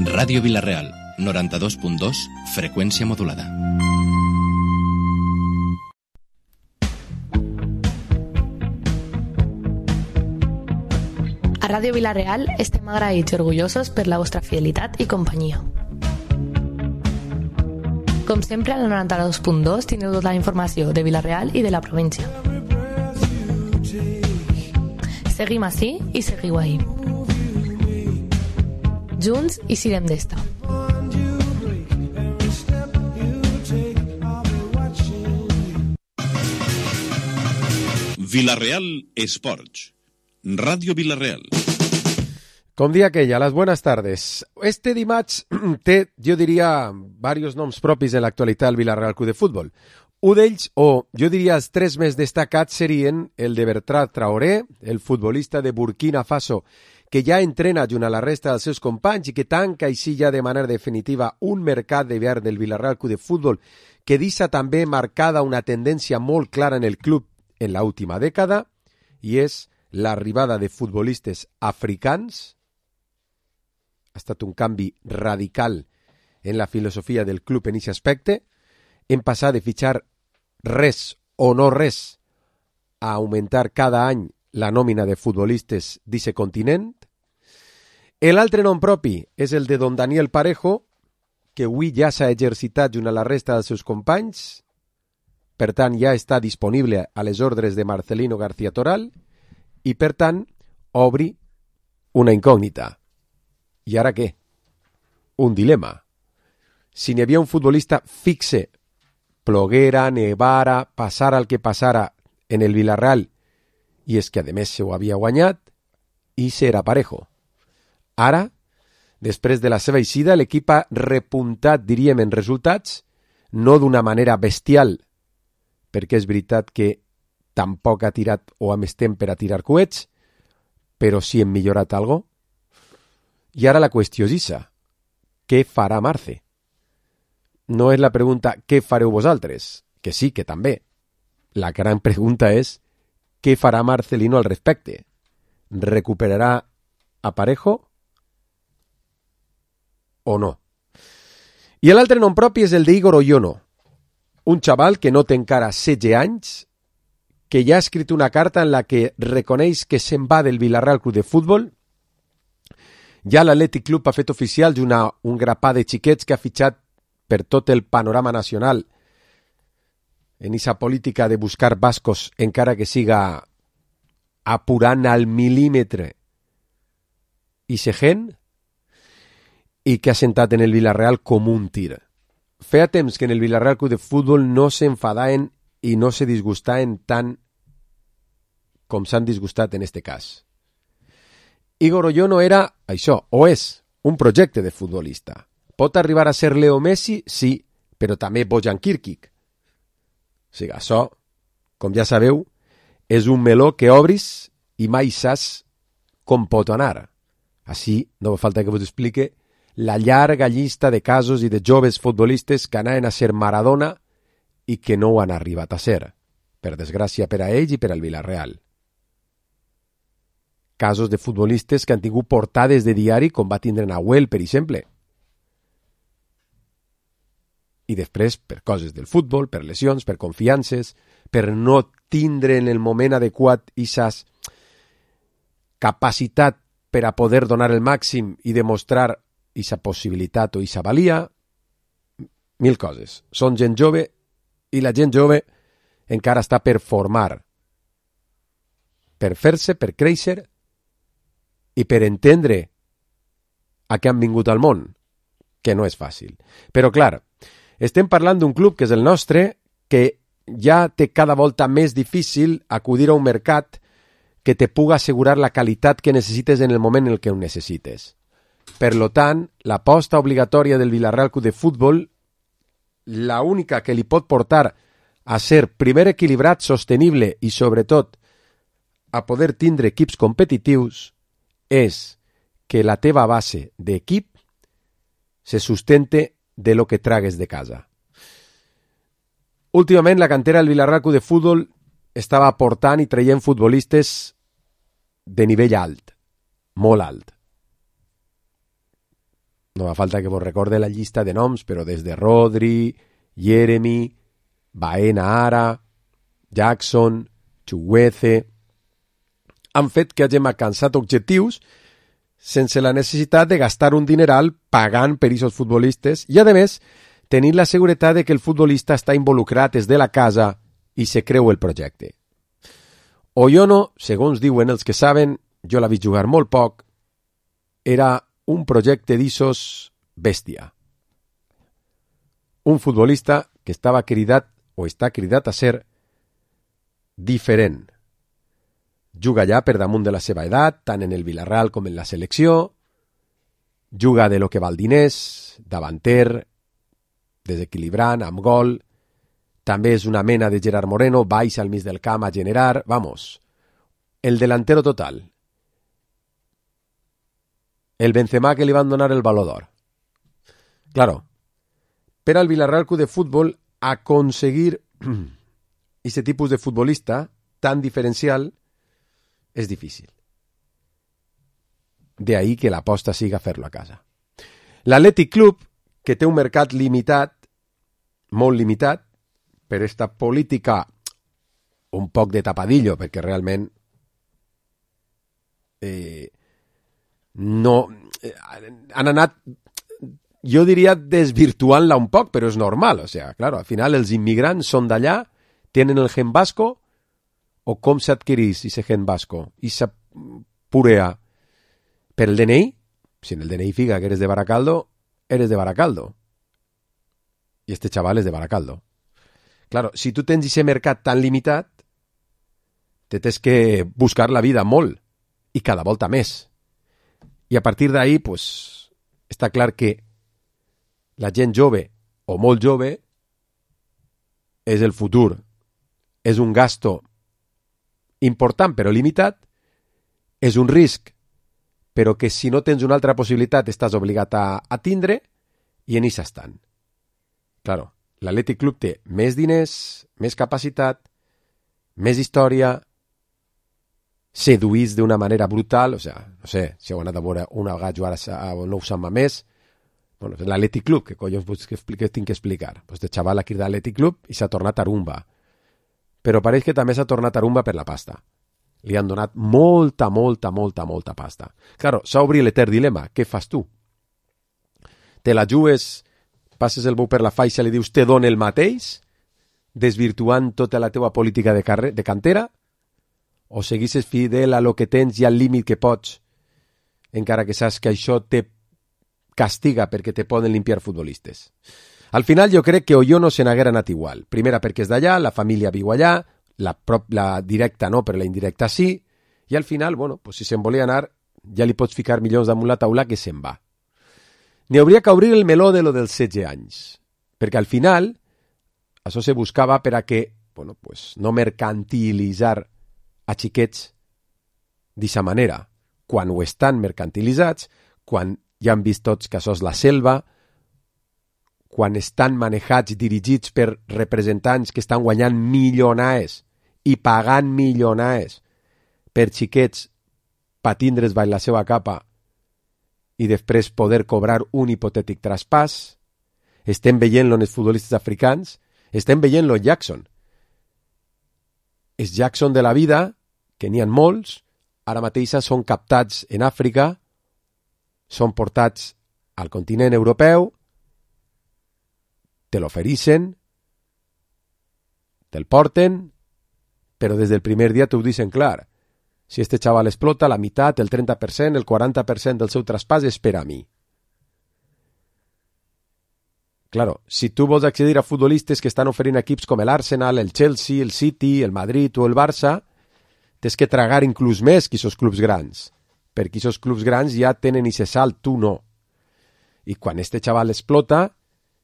Ràdio Vila-real, 92.2, freqüència modulada. A Ràdio Vila-real estem agraïts i orgullosos per la vostra fidelitat i companyia. Com sempre, al 92.2 tindreu tota la informació de Vila-real i de la província. Seguim ací i seguiu ahí. Junts i sirem d'esta. Vila-real Esports. Radio Vila-real. Com dia aquella, las buenas tardes. Este dimarts té, jo diria, varios noms propis en l'actualitat del Vila-real Club de Futbol. Un d'ells, o jo diria els tres més destacats, serien el de Bertrand Traoré, el futbolista de Burkina Faso, que ja entrena junt a la resta dels seus companys i que tanca així ja de manera definitiva un mercat d'hivern del Vila-real Club de Futbol que deixa també marcada una tendència molt clara en el club en l'última dècada, i és l'arribada de futbolistes africans. Ha estat un canvi radical en la filosofia del club en aquest aspecte. Hem passat de fitxar res o no res a augmentar cada any la nòmina de futbolistes d'aquest continent. L'altre nom propi és el de don Daniel Parejo, que avui ja s'ha exercitat junt a la resta dels seus companys, per tant ja està disponible a les ordres de Marcelino García Toral i per tant obri una incògnita. I ara què? Un dilema. Si n'hi havia un futbolista fixe, ploguera, nevara, passara el que passara en el Vila-real, i és que a més se ho havia guanyat, i serà Parejo. Ara, després de la seva eixida, l'equip ha repuntat, diríem, en resultats, no d'una manera bestial, perquè és veritat que tampoc ha tirat o ha més temps per a tirar coets, però sí hem millorat alguna cosa. I ara la qüestió és aquesta. Què farà Marce? No és la pregunta què fareu vosaltres, que sí, que també. La gran pregunta és què farà Marcelino al respecte? Recuperarà a Parejo o no? I l'altre nom propi és el d'Igor Oyono, un xaval que no té encara 16 anys, que ja ha escrit una carta en la que reconeix que se'n va del Vila-real Club de Futbol. Ja l'Atlètic Club ha fet oficial un grapà de xiquets que ha fitxat per tot el panorama nacional en aquesta política de buscar bascos, encara que siga apurant al mil·límetre i segent, i que ha sentat en el Vila-real com un tir. Feia temps que en el Vila-real Club de Futbol no s'enfadaven i no se disgustaven tant com s'han disgustat en este cas. Igor Oyono era això, o és, un projecte de futbolista. Pot arribar a ser Leo Messi? Sí, però també Bojan Kirkic. O sigui, això, com ja sabeu, és un meló que obris i mai saps com pot anar. Així, no fa falta que vos explique la llarga llista de casos i de joves futbolistes que anaven a ser Maradona i que no ho han arribat a ser, per desgràcia per a ells i per al Vila-real. Casos de futbolistes que han tingut portades de diari com va tindre Nahuel, per exemple. I després, per coses del futbol, per lesions, per confiances, per no tindre en el moment adequat aquesta capacitat per a poder donar el màxim i demostrar aquesta possibilitat o aquesta valia, mil coses. Són gent jove i la gent jove encara està per formar, per fer-se, per créixer i per entendre a què han vingut al món, que no és fàcil. Però, clar, estem parlant d'un club que és el nostre, que ja té cada volta més difícil acudir a un mercat que te puga assegurar la qualitat que necessites en el moment en el que ho necessites. Per lo tant, l'aposta obligatòria del Vila-real Club de Futbol, la única que li pot portar a ser primer equilibrat, sostenible i, sobretot, a poder tindre equips competitius, és que la teva base d'equip se sustente de lo que tragues de casa. Últimament, la cantera del Vila-real Club de Futbol estava aportant i traient futbolistes de nivell alt, molt alt. no fa falta que vos recorde la llista de noms, però des de Rodri, Jeremy, Baena ara, Jackson, Chukwueze, han fet que hagin alcançat objectius sense la necessitat de gastar un dineral pagant per aquests futbolistes i, a més, tenir la seguretat de que el futbolista està involucrat des de la casa i se creu el projecte. Oyono, segons diuen els que saben, jo l'he vist jugar molt poc, era un projecte d'issos bèstia. Un futbolista que estava cridat o està cridat a ser diferent. Juga ja per damunt de la seva edat, tant en el Villarreal com en la selecció, juga de lo que val diners, davanter, desequilibrant, amb gol, també és una mena de Gerard Moreno, baixa al mig del camp a generar, vamos, el delantero total. El Benzema que li van donar el Baló d'Or. Claro, per al Villarreal Club de Fútbol aconseguir aquest tipus de futbolista tan diferencial és difícil. De ahí que l'aposta siga fer-lo a casa. L'Athletic Club, que té un mercat limitat, molt limitat, per esta política un poc de tapadillo, perquè realment no han anat, jo diria, desvirtuant-la un poc, però és normal. O sea, claro, al final els immigrants són d'allà, tenen el gen vasco, o com s'adquirís ese gen vasco, i esa purea per el DNI. Si en el DNI fica que eres de Baracaldo, eres de Baracaldo. Y este chaval es de Baracaldo. Claro, si tu tens ese mercat tan limitat, te tens que buscar la vida molt, i cada volta més. I a partir d'ahí, pues, està clar que la gent jove, o molt jove, és el futur. És un gasto important però limitat, és un risc, però que si no tens una altra possibilitat estàs obligat a tindre, i en això estan. Claro, l'Athletic Club té més diners, més capacitat, més història, seduïts d'una manera brutal, o sea, no sé, si heu anat a veure una vegada jugar a Nou Sant Mamés, bueno, l'Athletic Club, que collons que tinc que explicar? Pues de xaval aquí d'Athletic Club i s'ha tornat Arumba. Però pareix que també s'ha tornat Arumba per la pasta. Li han donat molta pasta. Claro, s'ha obrit l'etern dilema. Què fas tu? Te la jugues, passes el bou per la faixa i li dius te dono el mateix, desvirtuant tota la teva política de cantera, o seguisses fidel a lo que tens i al límit que pots, encara que saps que això te castiga perquè te poden limpiar futbolistes. Al final jo crec que Oyono se n'haguera anat igual. Primera perquè és d'allà, la família viu allà, la directa no, però la indirecta sí, i al final, bueno, pues si se'n volia anar, ja li pots ficar milions damunt la taula que se'n va. N'hi hauria que obrir el meló de lo dels 16 anys, perquè al final això se buscava per a que, bueno, pues no mercantilitzar a xiquets d'aquesta manera. Quan ho estan mercantilitzats, quan ja han vist tots que això és la selva, quan estan manejats, dirigits per representants que estan guanyant milionaes i pagant milionaes per xiquets per tindre's baix la seva capa i després poder cobrar un hipotètic traspàs. Estem veient-lo en els futbolistes africans, estem veient-lo en Jackson. Els Jackson de la vida, que n'hi ha molts, ara mateix són captats en Àfrica, són portats al continent europeu, te l'ofereixen, te'l porten, però des del primer dia t'ho dicen clar. Si este xaval explota, la meitat, el 30%, el 40% del seu traspàs és per a mi. Claro, si tu vols accedir a futbolistes que estan oferint equips com l'Arsenal, el Chelsea, el City, el Madrid o el Barça, tens que tragar inclús més que aquests clubs grans, perquè aquests clubs grans ja tenen aquest salt, tu no. I quan este xaval explota,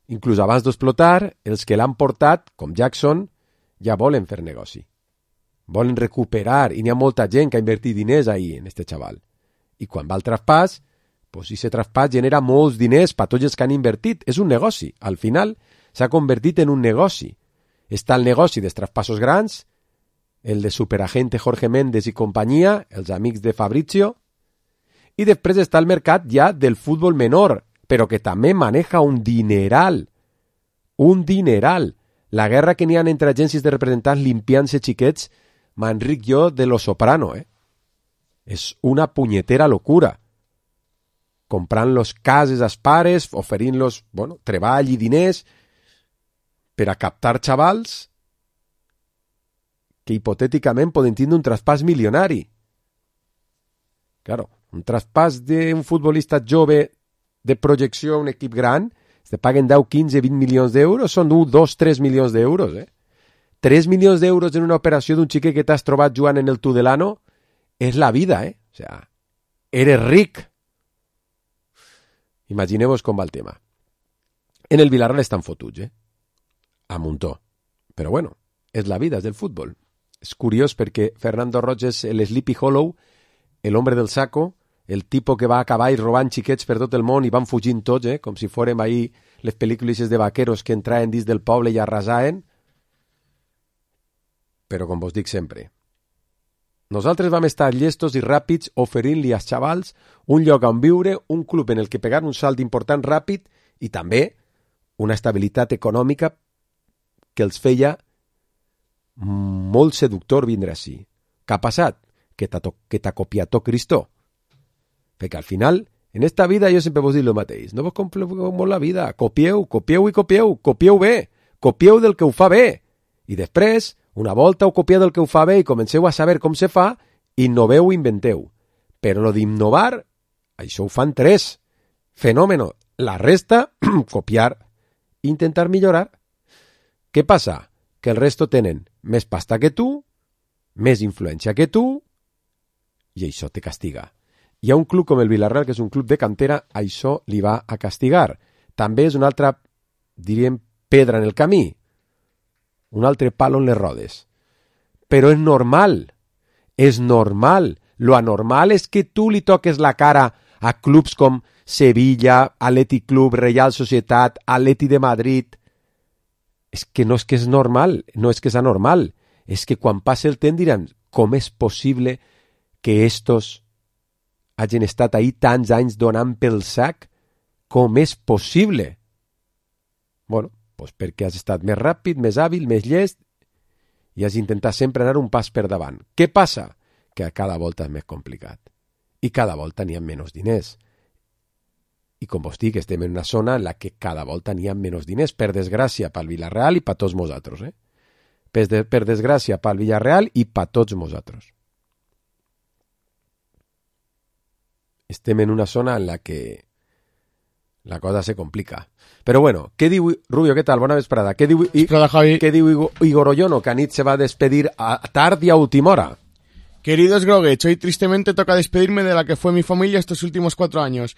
inclús abans d'explotar, els que l'han portat, com Jackson, ja volen fer negoci. Volen recuperar, i n'hi ha molta gent que ha invertit diners ahir en este xaval. I quan va al traspàs, pues aquest traspàs genera molts diners per tots els que han invertit. És un negoci. Al final s'ha convertit en un negoci. Està el negoci dels traspassos grans, el de superagente Jorge Méndez i companyia, els amics de Fabrizio, i després està el mercat ja del futbol menor, però que també maneja un dineral. Un dineral. La guerra que n'hi ha entre agències de representants limpiant-se xiquets, m'enric jo de Lo Soprano, És una punyetera locura. Comprant-los cases als pares, oferint-los, treball i diners per a captar xavals que hipotèticament poden tindre un traspàs milionari. Claro, un traspàs d'un futbolista jove de projecció a un equip gran, se paguen 10, 15, 20 milions d'euros, són 1, 2, 3 milions d'euros. 3 milions d'euros en una operació d'un xiquet que t'has trobat jugant en el Tudelano és la vida, O sea, eres ric. Imagineu-vos com va el tema. En el Villarreal estan fotuts, a muntó. Però bueno, és la vida, és del futbol. És curiós perquè Fernando Roig és el Sleepy Hollow, el hombre del saco, el tipo que va a cavall robant xiquets per tot el món i van fugint tots, com si fórem ahir les pel·lícules de vaqueros que entraven dins del poble i arrasaven. Però com vos dic sempre, nosaltres vam estar llestos i ràpids oferint-li als xavals un lloc on viure, un club en el que pegar un salt important ràpid i també una estabilitat econòmica que els feia molt seductor vindre així. Què ha passat? Que t'ha copiat tot Cristo. Perquè al final, en esta vida jo sempre vos dic el mateix. No vos compliqueu molt la vida. Copieu, copieu i copieu. Copieu bé. Copieu del que ho fa bé. I després, una volta ho copieu del que ho fa bé i comenceu a saber com se fa, innoveu i inventeu. Però lo d'innovar, això ho fan 3. Fenòmeno. La resta, copiar, intentar millorar. Què passa? Que el resto tenen més pasta que tu, més influència que tu, i això te castiga. Hi ha un club com el Villarreal, que és un club de cantera, això li va a castigar. També és una altra, diríem, pedra en el camí, un altre palo en les rodes. Però és normal, és normal. Lo anormal és que tu li toques la cara a clubs com Sevilla, Atlètic Club, Real Societat, Atleti de Madrid. És que no és que és normal, no és que és anormal. És que quan passe el temps diran, com és possible que estos hagin estat ahí tants anys donant pel sac? Com és possible? Bueno, doncs perquè has estat més ràpid, més hàbil, més llest i has intentat sempre anar un pas per davant. Què passa? Que cada volta és més complicat. I cada volta n'hi ha menys diners. I com vos dic, estem en una zona en la que cada volta n'hi ha menys diners, per desgràcia pel Villarreal i per tots nosaltres. Per desgràcia pel Villarreal i per tots nosaltres. Estem en una zona en la que la cosa se complica. Però bueno, què diu Rubio? Què tal? Bona vesprada. Què diu Igor Oyono, que anit se va a despedir a tard y a última hora? Queridos Groguech, hoy tristemente toca despedirme de la que fue mi familia estos últimos 4 años.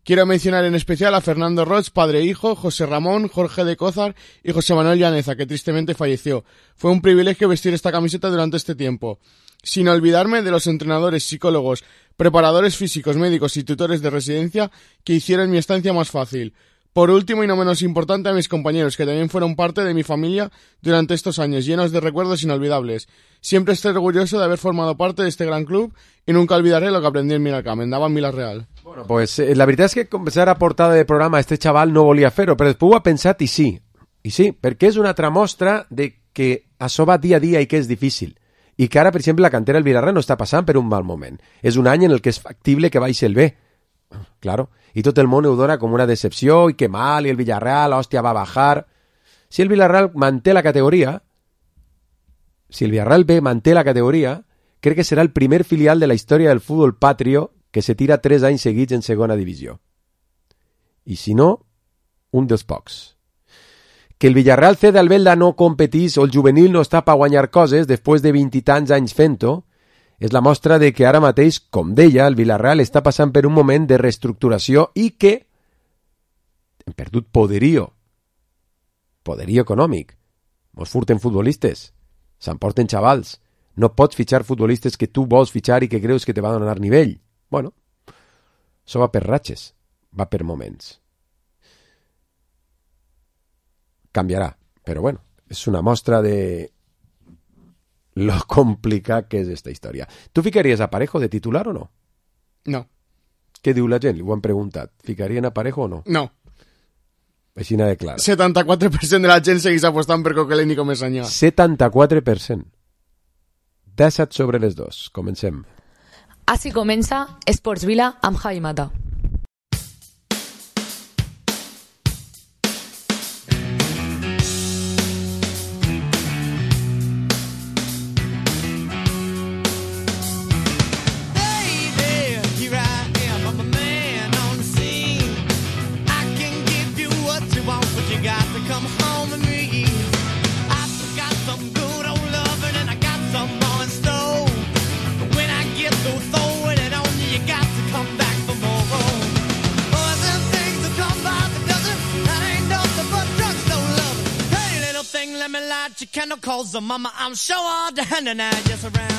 Quiero mencionar en especial a Fernando Roig, padre e hijo, José Ramón, Jorge de Cózar y José Manuel Llaneza, que tristemente falleció. Fue un privilegio vestir esta camiseta durante este tiempo. Sin olvidarme de los entrenadores, psicólogos, preparadores físicos, médicos y tutores de residencia que hicieron mi estancia más fácil. Por último y no menos importante, a mis compañeros, que también fueron parte de mi familia durante estos años, llenos de recuerdos inolvidables. Siempre estoy orgulloso de haber formado parte de este gran club y nunca olvidaré lo que aprendí en Miracam, en Davant Villarreal. Bueno, pues la veritat és que començar a portada de programa este xaval no volia fer-ho, però després ho ha pensat i sí, perquè és una altra mostra de que això va dia a dia i que és difícil. I que ara, per exemple, la cantera del Villarreal no està passant per un mal moment. És un any en el que és factible que baixi el B. Claro. I tot el món ho dona com una decepció i que mal, i el Villarreal, hòstia, va bajar. Si el Villarreal manté la categoria, si el Villarreal B manté la categoria, crec que serà el primer filial de la història del futbol patrio que se tira 3 anys seguits en segona divisió. I si no, un dels pocs. Que el Villarreal C d'Albelda no competís o el juvenil no està per guanyar coses després de 20 i tants anys fent-ho, és la mostra de que ara mateix, com deia, el Villarreal està passant per un moment de reestructuració i que hem perdut poderio econòmic. Mos furten futbolistes, s'emporten xavals. No pots fitxar futbolistes que tu vols fitxar i que creus que te va donar nivell. Bueno, això va per ratxes, va per moments. Canviarà, però bueno, és una mostra de lo complicat que és esta història. Tu ficaries a Parejo de titular o no? No. Què diu la gent? Ho han preguntat. Ficarien a Parejo o no? No. Així n'ha de clara. 74% de la gent segueix apostant per Coquelin i Comesaña. 74%. 17 sobre les 2. Comencem. Així comença Esports Vila amb Javi Mata. Mama, I'm sure all the hand and I just around.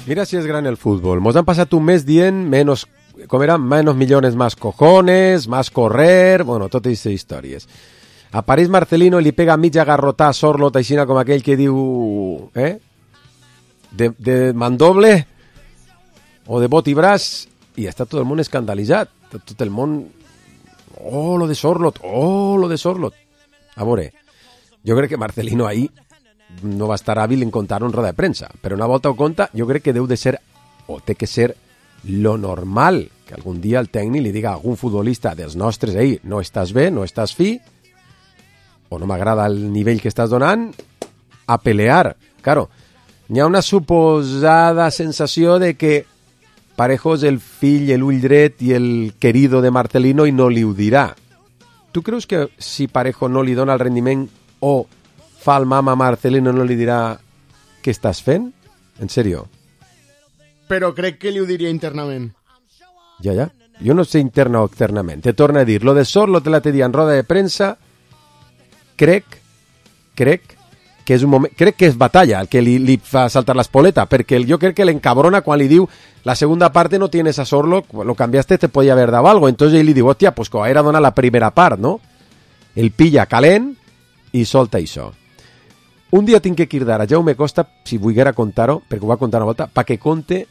Mira si és gran el fútbol. Mos han passat un mes dient menos, com era, menos millones más cojones, más correr, bueno, totes aquestes històries. A París Marcelino li pega mitja garrotà a Sorlot, aixina com aquell que diu, de mandoble o de bot i braç, i està tot el món escandalitzat. Tot el món... Oh, lo de Sorlot. A veure, jo crec que Marcelino ahí no va estar hàbil en contar en roda de premsa, però una volta ho conta, jo crec que deu de ser, o té que ser, lo normal, que algun dia el tècnic li diga a algun futbolista dels nostres, ei, no estàs bé, no estàs fi, o no m'agrada el nivell que estàs donant, a pelear. Claro, hi ha una suposada sensació de que Parejo és el fill, l'ull dret i el querido de Marcelino i no li ho dirà. Tu creus que si Parejo no li dona el rendiment o fa el mama a Marcelino no li dirà què estàs fent? En sèrio? Però crec que li ho diria internament. Ja. Jo no sé interna o externament. Te torno a dir, lo de Sorlot te l'altre dia en roda de premsa, crec que és un moment, crec que és Batalla el que li fa saltar la espoleta, perquè jo crec que l'encabrona quan li diu la segunda parte no tienes a Sorlot, lo cambiaste, te podía haber dado algo. Entonces ell li diu, hòstia, pues com era donar la primera part, no? El pilla calent i solta això. Un dia tinc que cridar a Jaume Costa, si volguera contar-ho, perquè ho va contar una volta, perquè conte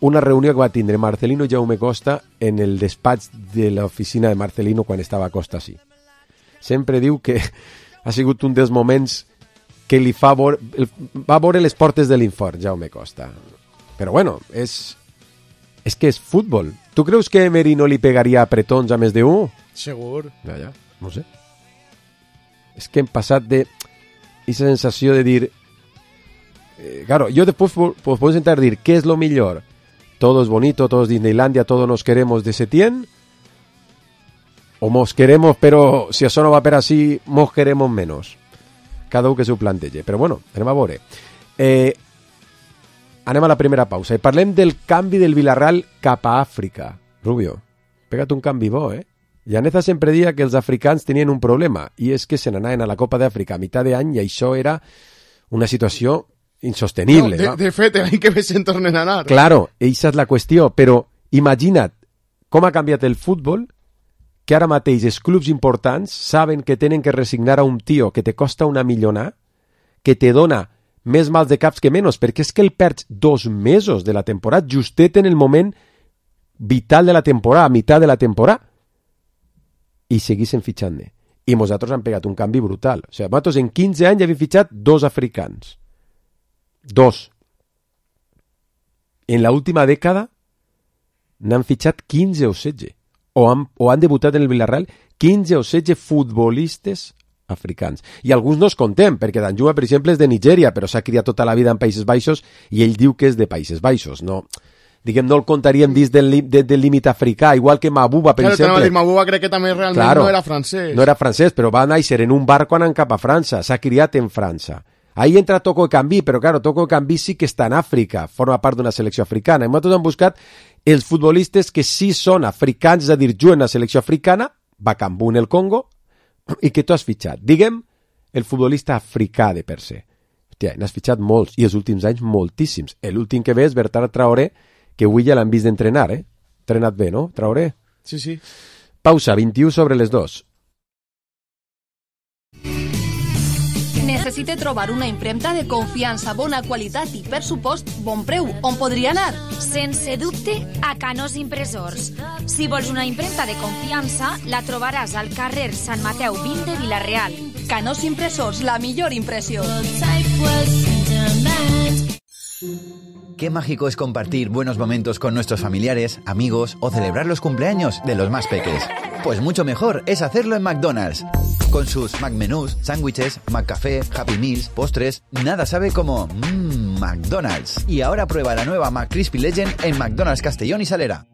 una reunió que va tindre Marcelino i Jaume Costa en el despatx de l'oficina de Marcelino quan estava Costa així. Sempre diu que ha sigut un dels moments que li va veure les portes de l'infort, Jaume Costa. Però bueno, és que és futbol. Tu creus que Emery no li pegaria apretons a més de 1? Segur. Ja, no sé. És que hem passat de esa sensació de dir... claro, yo después puedo intentar decir ¿qué es lo mejor? Todo es bonito, todo es Disneylandia, todos nos queremos de Setién. O mos queremos, però si això no va per així, mos queremos menos. Cada un que s'ho plantege. Però bueno, anem a veure. Anem a la primera pausa i parlem del canvi del Villarreal cap a Àfrica. Rubio, pega't un canvi bo, Llaneza sempre dia que els africans tenien un problema, i és que se n'anaven a la Copa d'Àfrica a mitjà d'any i això era una situació insostenible. No, de fet, l'any que ve se'n tornen a anar. Claro, eixa és la qüestió, però imagina't com ha canviat el futbol, que ara mateix els clubs importants saben que tenen que resignar a un tio que te costa una millona, que te dona més mals de caps que menys, perquè és que el perds 2 mesos de la temporada, justet en el moment vital de la temporada, a mitjà de la temporada, i seguissin fitxant-ne. I nosaltres han pegat un canvi brutal. O sigui, nosaltres en 15 anys havíem fitxat 2 africans. 2. En l'última dècada n'han fitxat 15 o 16. O han debutat en el Villarreal 15 o 16 futbolistes africans. I alguns no es contem, perquè Danjuma, per exemple, és de Nigèria, però s'ha criat tota la vida en Països Baixos i ell diu que és de Països Baixos. No, diguem, no el contaríem dins del límit africà, igual que Mabuba, per exemple. Mabuba crec que també realment no era francès. No era francès, però va néixer en un barco anant cap a França, s'ha criat en França. Ahí entra Toko Ekambi, però claro, Toko Ekambi sí que està en Àfrica, forma part d'una selecció africana. I nosaltres hem buscat els futbolistes que sí són africans, és a dir, juguen a la selecció africana, Bakambu en el Congo, i que tu has fitxat. Diguem, el futbolista africà de per se. Hòstia, n'has fitxat molts, i els últims anys moltíssims. L'últim que ve és Bertrand Traoré, que avui ja l'han vist d'entrenar, Entrenat bé, no, Traoré? Sí, sí. Pausa, 21 sobre les 2. necessite trobar una impremta de confiança, bona qualitat i, per supost, bon preu, on podria anar? Sense dubte, a Canós Impressors. Si vols una impremta de confiança, la trobaràs al carrer Sant Mateu 20 de Vila-real. Canós Impressors, la millor impressió. Qué mágico es compartir buenos momentos con nuestros familiares, amigos o celebrar los cumpleaños de los más peques. Pues mucho mejor es hacerlo en McDonald's. Con sus McMenús, sándwiches, McCafé, Happy Meals, postres, nada sabe como McDonald's. Y ahora prueba la nueva McCrispy Legend en McDonald's Castellón y Salera.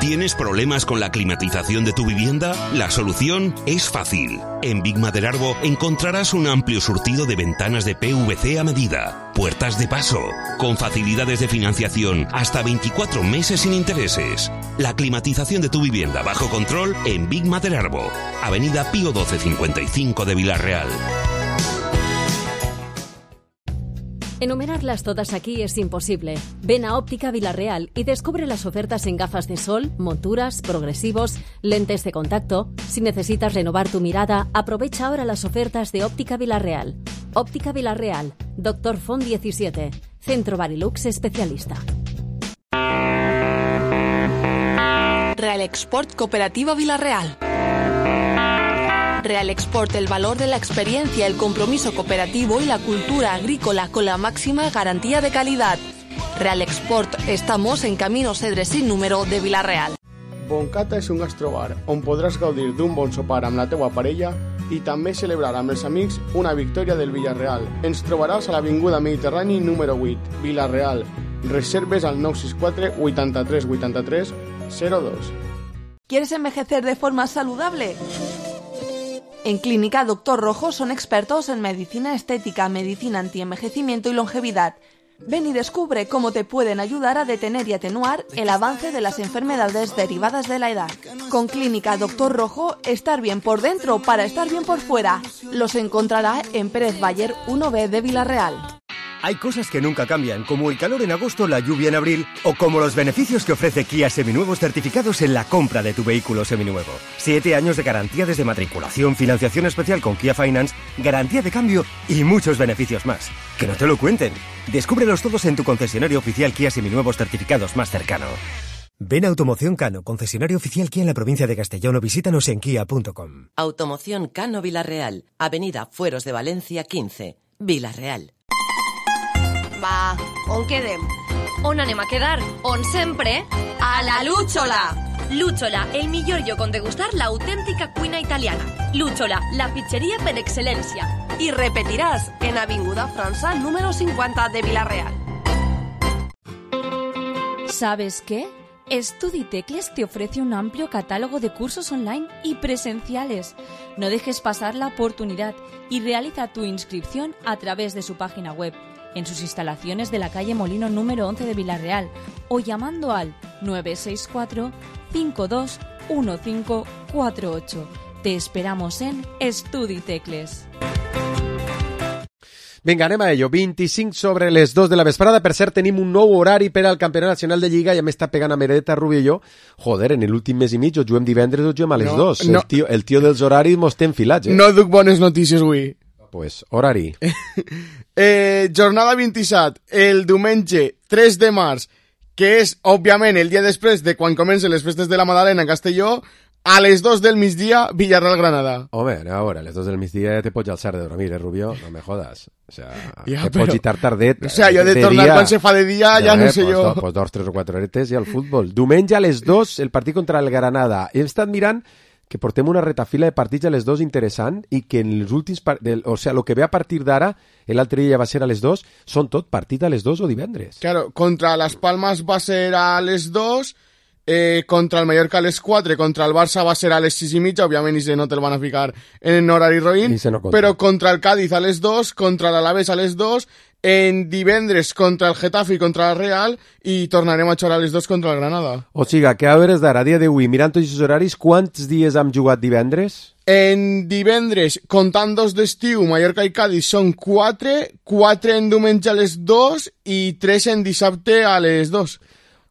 ¿Tienes problemas con la climatización de tu vivienda? La solución es fácil. En Big Maderarbo encontrarás un amplio surtido de ventanas de PVC a medida, puertas de paso, con facilidades de financiación hasta 24 meses sin intereses. La climatización de tu vivienda bajo control en Big Maderarbo, Avenida Pío XII 55 de Vila-real. Enumerarlas todas aquí es imposible. Ven a Óptica Vila-real y descubre las ofertas en gafas de sol, monturas, progresivos, lentes de contacto. Si necesitas renovar tu mirada, aprovecha ahora las ofertas de Óptica Vila-real. Óptica Vila-real, Dr. Font 17, Centro Barilux especialista. Real Export Cooperativa Vila-real. Real Export, el valor de la experiencia, el compromiso cooperativo y la cultura agrícola con la máxima garantía de calidad. Real Export, estamos en Camino Cedre sin número de Vila-real. Boncata és un gastrobar on podràs gaudir d'un bon sopar amb la teua parella i també celebrar amb els amics una victòria del Villarreal. Ens trobaràs a l'Avinguda Mediterrani número 8, Vila-real. Reserves al 964 83 83 02. ¿Quieres envejecer de forma saludable? En Clínica Dr. Rojo son expertos en medicina estética, medicina antienvejecimiento y longevidad. Ven y descubre cómo te pueden ayudar a detener y atenuar el avance de las enfermedades derivadas de la edad. Con Clínica Dr. Rojo, estar bien por dentro para estar bien por fuera. Los encontrará en Pérez Bayer 1B de Vila-real. Hay cosas que nunca cambian, como el calor en agosto, la lluvia en abril, o como los beneficios que ofrece Kia Seminuevos certificados en la compra de tu vehículo seminuevo. 7 años de garantía desde matriculación, financiación especial con Kia Finance, garantía de cambio y muchos beneficios más. Que no te lo cuenten. Descúbrelos todos en tu concesionario oficial Kia Seminuevos certificados más cercano. Ven a Automoción Cano, concesionario oficial Kia en la provincia de Castellón, o visítanos en kia.com. Automoción Cano Vila-real, Avenida Fueros de Valencia 15, Vila-real. Va, on quedem? On anem a quedar? On sempre? A la Lúchola! Lúchola, el millor lloc on degustar l'autèntica cuina italiana. Lúchola, la pizzeria per excel·lència. I repetiràs en Avinguda França número 50 de Vila-real. ¿Sabes qué? StudiTecles te ofrece un amplio catálogo de cursos online y presenciales. No dejes pasar la oportunidad y realiza tu inscripción a través de su página web, en sus instalaciones de la calle Molino número 11 de Vila-real o llamando al 964 52 1548. Te esperamos en StudiTecles. Vinga, anem a ello. 25 sobre les 2 de la vesprada. Per cert, tenim un nou horari per al Campionat Nacional de Lliga. Ja m'està pegant a Meredeta, Rubio i jo. Joder, en l'últim mes i mig o juguem divendres o juguem a les 2. No. El tio dels horaris mos té enfilats, No duc bones notícies avui. Pues, horari. Jornada 27, el diumenge 3 de març, que és, òbviament, el dia després de quan comencen les festes de la Madalena a Castelló, a les 2 del migdia, Villarreal-Granada. Home, ahora, a les 2 del migdia te pots alçar de dormir, Rubio? No me jodas. O sea, ja, te pots gitar tardet. O sea, jo de tornar quan se fa de dia, ja no sé jo. Pues 2, 3 o 4 horetes i al futbol. Diumenge a les 2, el partit contra el Granada. He estat mirant que portem una retafila de partits a les 2 interessant i que en els últims... o sea, el que ve a partir d'ara, l'altre dia va ser a les 2, són tot partit a les 2 o divendres. Claro, contra Las Palmas va ser a les 2, contra el Mallorca a les 4, contra el Barça va ser a les 6 i mitja, òbviament i no te'l van a ficar en horari roïn, no però contra el Cádiz a les 2, contra l'Alavés a les 2, en divendres contra el Getafe i contra el Real i tornarem a jugar a les 2 contra el Granada. O sigui, que a hores d'ara, a dia d'avui, mirant tots els horaris, quants dies hem jugat divendres? En divendres, comptant 2 d'estiu, Mallorca i Cádiz són 4, 4 en diumenge a les 2 i 3 en dissabte a les 2.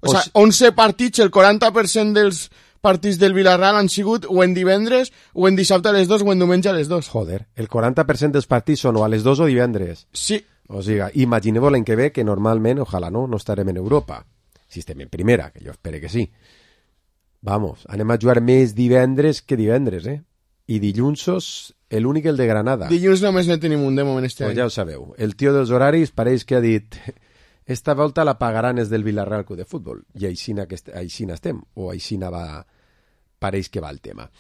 O sigui, 11 partits, el 40% dels partits del Villarreal han sigut o en divendres, o en dissabte a les 2, o en diumenge a les 2. Joder, el 40% dels partits són o a les 2 o divendres. Sí. O sigui, imagineu l'any que ve que normalment, ojalà no estarem en Europa. Si estem en primera, que jo espero que sí. Vamos, anem a jugar més divendres que divendres, I dilluns l'únic el de Granada. Dilluns només ne tenim un de moment este any. Ja ho sabeu. El tio dels horaris pareix que ha dit esta volta la pagaran els del Villarreal Club de Futbol. I aixina estem. O aixina pareix que va el tema.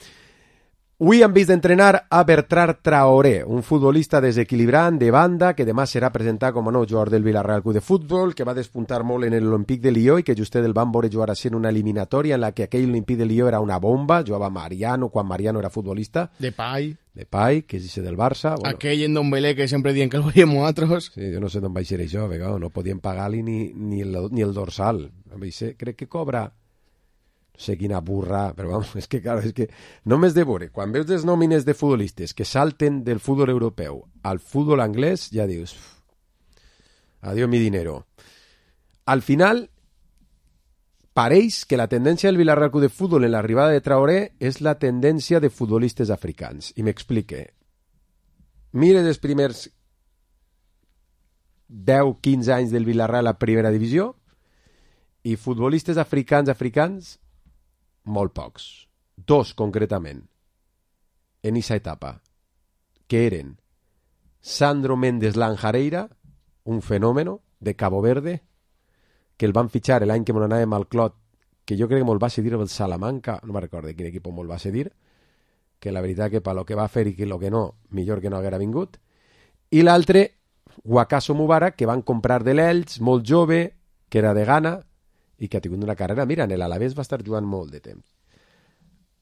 Avui hem vist d'entrenar a Bertrand Traoré, un futbolista desequilibrant de banda que demà serà presentat com a nou jugador del Villarreal Club de Futbol, que va despuntar molt en l'Olympique de Lió i que justet el van veure jugar així en una eliminatòria en la que aquell Olympique de Lió era una bomba, jugava Mariano quan Mariano era futbolista. Depay, que és del Barça. Bueno. Aquell en Dombelé que sempre dient que el veiem nosaltres. Sí, jo no sé d'on va ser això, no podien pagar-li ni el dorsal. Crec que cobra... no sé quina burra, però vamos, és que només de veure, quan veus les nòmines de futbolistes que salten del futbol europeu al futbol anglès, ja dius adiós mi dinero. Al final pareix que la tendència del Villarreal Club de Futbol en l'arribada de Traoré és la tendència de futbolistes africans, i m'explique. Mire els primers 10-15 anys del Villarreal a primera divisió i futbolistes africans molt pocs. 2 concretament en aquesta etapa, que eren Sandro Méndez Lanjareira, un fenòmeno de Cabo Verde, que el van fitxar l'any que anàvem al Clot, que jo crec que me'l va cedir el Salamanca, no me'n recordo quin equip me'l va cedir, que la veritat que per lo que va fer i que lo que no, millor que no haguera vingut. I l'altre, Wakaso Mubarak, que van comprar de l'Elx, molt jove, que era de Ghana, i que ha tingut una carrera, mira, en l'Alavés va estar jugant molt de temps.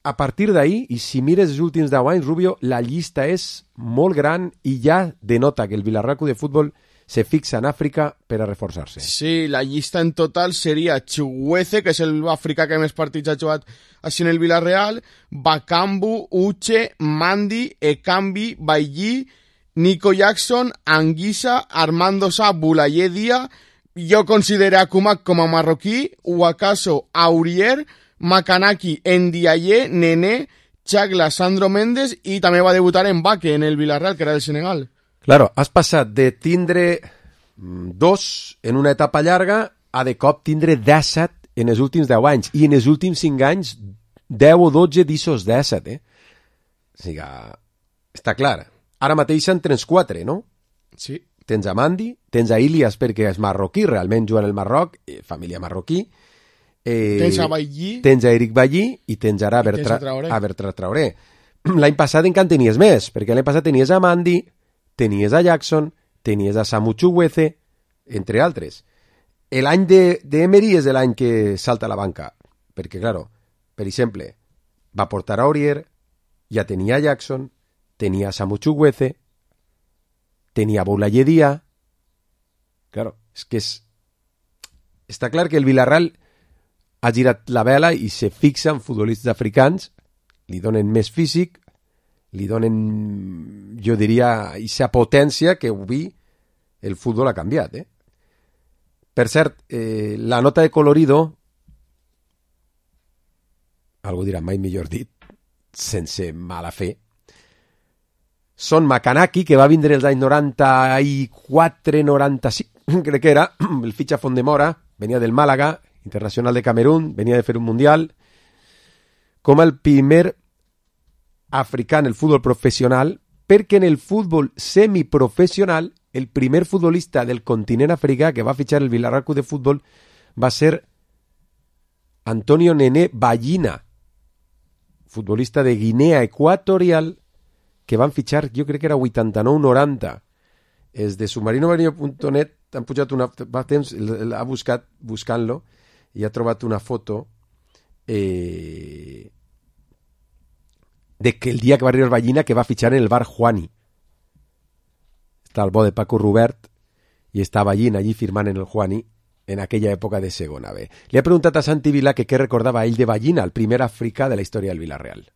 A partir d'ahí, i si mires els últims 10 anys, Rubio, la llista és molt gran i ja denota que el Villarreal Club de Futbol se fixa en Àfrica per a reforçar-se. Sí, la llista en total seria Chukwueze, que és l'africà que més partits ha jugat així en el Villarreal, Bakambu, Uche, Mandi, Ekambi, Bailly, Nico Jackson, Anguissa, Armando Sa, Boulaye Dia. Jo considero a Kumak com a marroquí, Wakaso, Aurier, Makanaki, Ndiaye, Nené, Chagla, Sandro Méndez, i també va debutar en Baque, en el Villarreal, que era del Senegal. Claro, has passat de tindre 2 en una etapa llarga a de cop tindre 17 en els últims 10 anys, i en els últims 5 anys 10 o 12 d'issos 17, O sigui, està clar. Ara mateix en tens 4, no? Sí. Tens a Mandi, tens a Ilias perquè és marroquí, realment juga en el Marroc, família marroquí. Tens a Bailly. Tens a Eric Bailly i tens ara a Bertrand Traoré. L'any passat encara tenies més, perquè l'any passat tenies a Mandi, tenies a Jackson, tenies a Samu Chukwueze, entre altres. L'any d'Emery és l'any que salta a la banca, perquè, claro, per exemple, va portar a Aurier, ja tenia a Jackson, tenia a Samu Chukwueze, tenia Boulaye Dia. Claro, és que està clar que el Villarreal ha girat la vela i se fixa en futbolistes africans, li donen més físic, li donen, jo diria, aquesta potència que avui el futbol ha canviat. Per cert, la nota de colorido, algú dirà mai millor dit, sense mala fe, són Makanaki, que va vindre els anys 94-95, crec que era, el fitxa Fondemora, venia del Màlaga, internacional de Camerún, venia de fer un mundial, com el primer africà en el futbol professional, perquè en el futbol semiprofessional, el primer futbolista del continent africà que va fitxar el Villarreal Club de Futbol va ser Antonio Nené Ballina, futbolista de Guinea Equatorial, que van fitxar, jo crec que era 89-90. Els de submarinomarino.net han pujat una... Fa temps, l'ha buscat buscant-lo i ha trobat una foto de que el dia que va arribar Ballina que va fitxar en el bar Juani. Està el bo de Paco Rubert i està Ballina allí firmant en el Juani en aquella època de segona B. Li ha preguntat a Santi Vila que què recordava ell de Ballina, el primer africà de la història del Villarreal.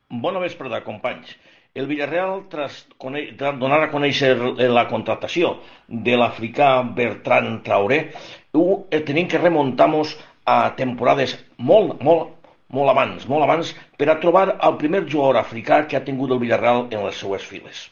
Bona vesprada, companys. El Villarreal, tras donar a conèixer la contratació de l'africà Bertrand Traoré, tenim que remuntar-nos a temporades molt abans per a trobar el primer jugador africà que ha tingut el Villarreal en les seues files.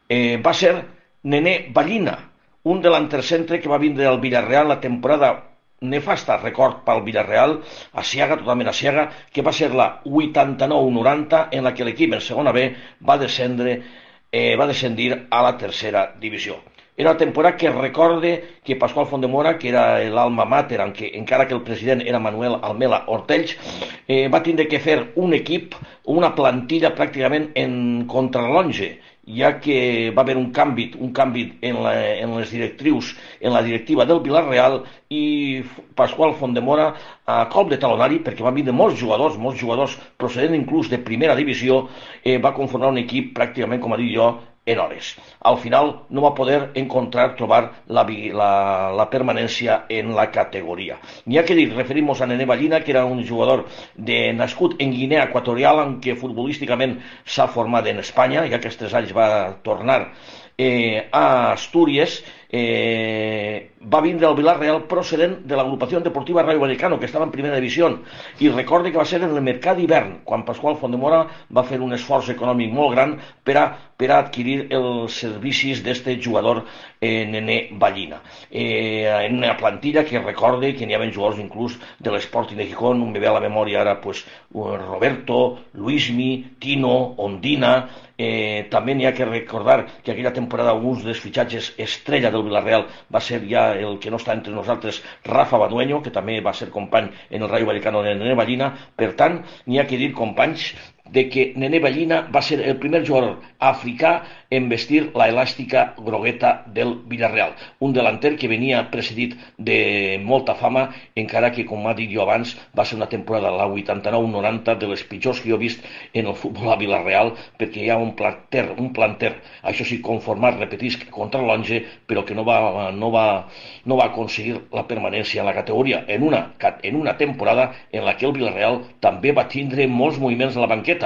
Va ser Nené Ballina, un delanter centre que va vindre al Villarreal la temporada nefasta, record pel Villarreal, asiaga, totalment asiaga, que va ser la 89-90, en la que l'equip en segona B va descendir a la tercera divisió. Era una temporada que recorde que Pasqual Fondemora, que era l'alma mater, encara que el president era Manuel Almela Ortells, va tindre que fer un equip, una plantilla pràcticament en contrarrellotge, ja que va haver un canvi en les directrius, en la directiva del Villarreal, i Pasqual Fondemora, a cop de talonari, perquè van vindre molts jugadors procedent inclús de primera divisió, va conformar un equip pràcticament, com ha dit jo, en hores. Al final no va poder trobar la permanència en la categoria. N'hi ha que dir, referim-nos a Nené Ballina, que era un jugador nascut en Guinea Equatorial, en què futbolísticament s'ha format en Espanya, i aquests 3 anys va tornar a Astúries. Va vindre al Villarreal procedent de l'agrupació deportiva Rayo Vallecano, que estava en primera divisió, i recorde que va ser en el mercat d'hivern quan Pasqual Fondemora va fer un esforç econòmic molt gran per a adquirir els servicis d'este jugador Nené Ballina. En una plantilla que recorde que n'hi havia jugadors inclús de l'Sporting de Gijón, me ve a la memòria ara Roberto, Luismi, Tino, Ondina. També n'hi ha que recordar que aquella temporada un dels fitxatges estrella del Villarreal va ser ja el que no està entre nosaltres, Rafa Badueño, que també va ser company en el Rayo Vallecano de Nené Ballina. Per tant, n'hi ha que dir, companys, de que Nené Ballina va ser el primer jugador africà en vestir la elàstica grogueta del Villarreal. Un delanter que venia precedit de molta fama, encara que, com ha dit jo abans, va ser una temporada, la 89-90, de les pitjors que jo he vist en el futbol a Villarreal, perquè hi ha un planter, això sí, conformat, repetisc, contra l'Onge, però que no va aconseguir la permanència en la categoria, en una temporada en la que el Villarreal també va tindre molts moviments a la banqueta.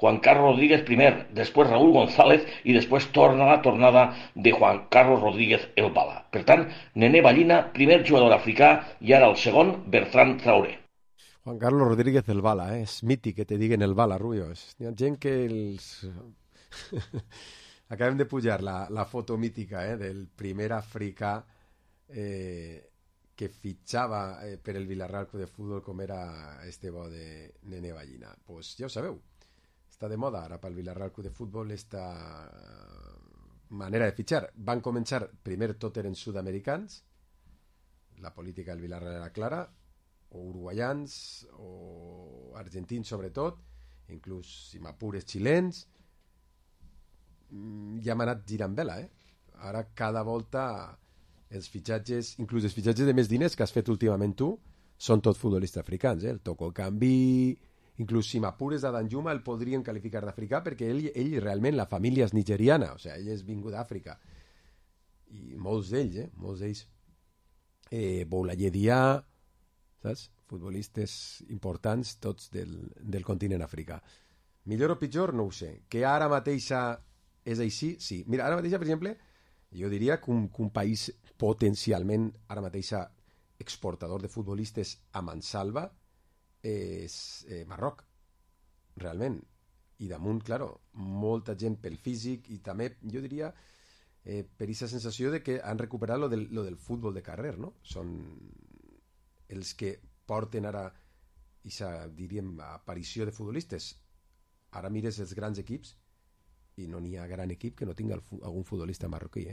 Juan Carlos Rodríguez primer, després Raúl González i després torna la tornada de Juan Carlos Rodríguez el Bala. Per tant, Nené Ballina, primer jugador africà, i ara el segon, Bertran Traoré. Juan Carlos Rodríguez el Bala, és mític que te diguen el Bala, Rubio. Hi ha gent que acabem de pujar la foto mítica del primer africà que fitxava per el Villarreal Club de Futbol, com era este bo de Nené Ballina. Pues ja ho sabeu, està de moda ara pel Villarreal Club de Futbol esta manera de fitxar. Van començar, primer tot eren sud-americans, la política del Villarreal era clara, o uruguaians, o argentins sobretot, inclús, si m'apures, xilens. Ja m'ha anat girant vela, Ara cada volta els fitxatges, inclús els fitxatges de més diners que has fet últimament tu, són tot futbolistes africans, el Toko Cambi, inclús si m'apures a Danjuma el podrien qualificar d'africà perquè ell realment, la família és nigeriana, o sigui, ell és vingut d'Àfrica, i molts d'ells, Boulaye Dia, saps? Futbolistes importants tots del continent africà. Millor o pitjor, no ho sé. Que ara mateixa és així, sí. Mira, ara mateixa, per exemple, jo diria que un país potencialment ara mateixa exportador de futbolistes a mansalva és Marroc, realment. I damunt, claro, molta gent pel físic i també, jo diria, per aquesta sensació de que han recuperat lo del futbol de carrer, no? Són els que porten ara aquesta, diríem, aparició de futbolistes. Ara mires els grans equips i no n'hi ha gran equip que no tingui algun futbolista marroquí,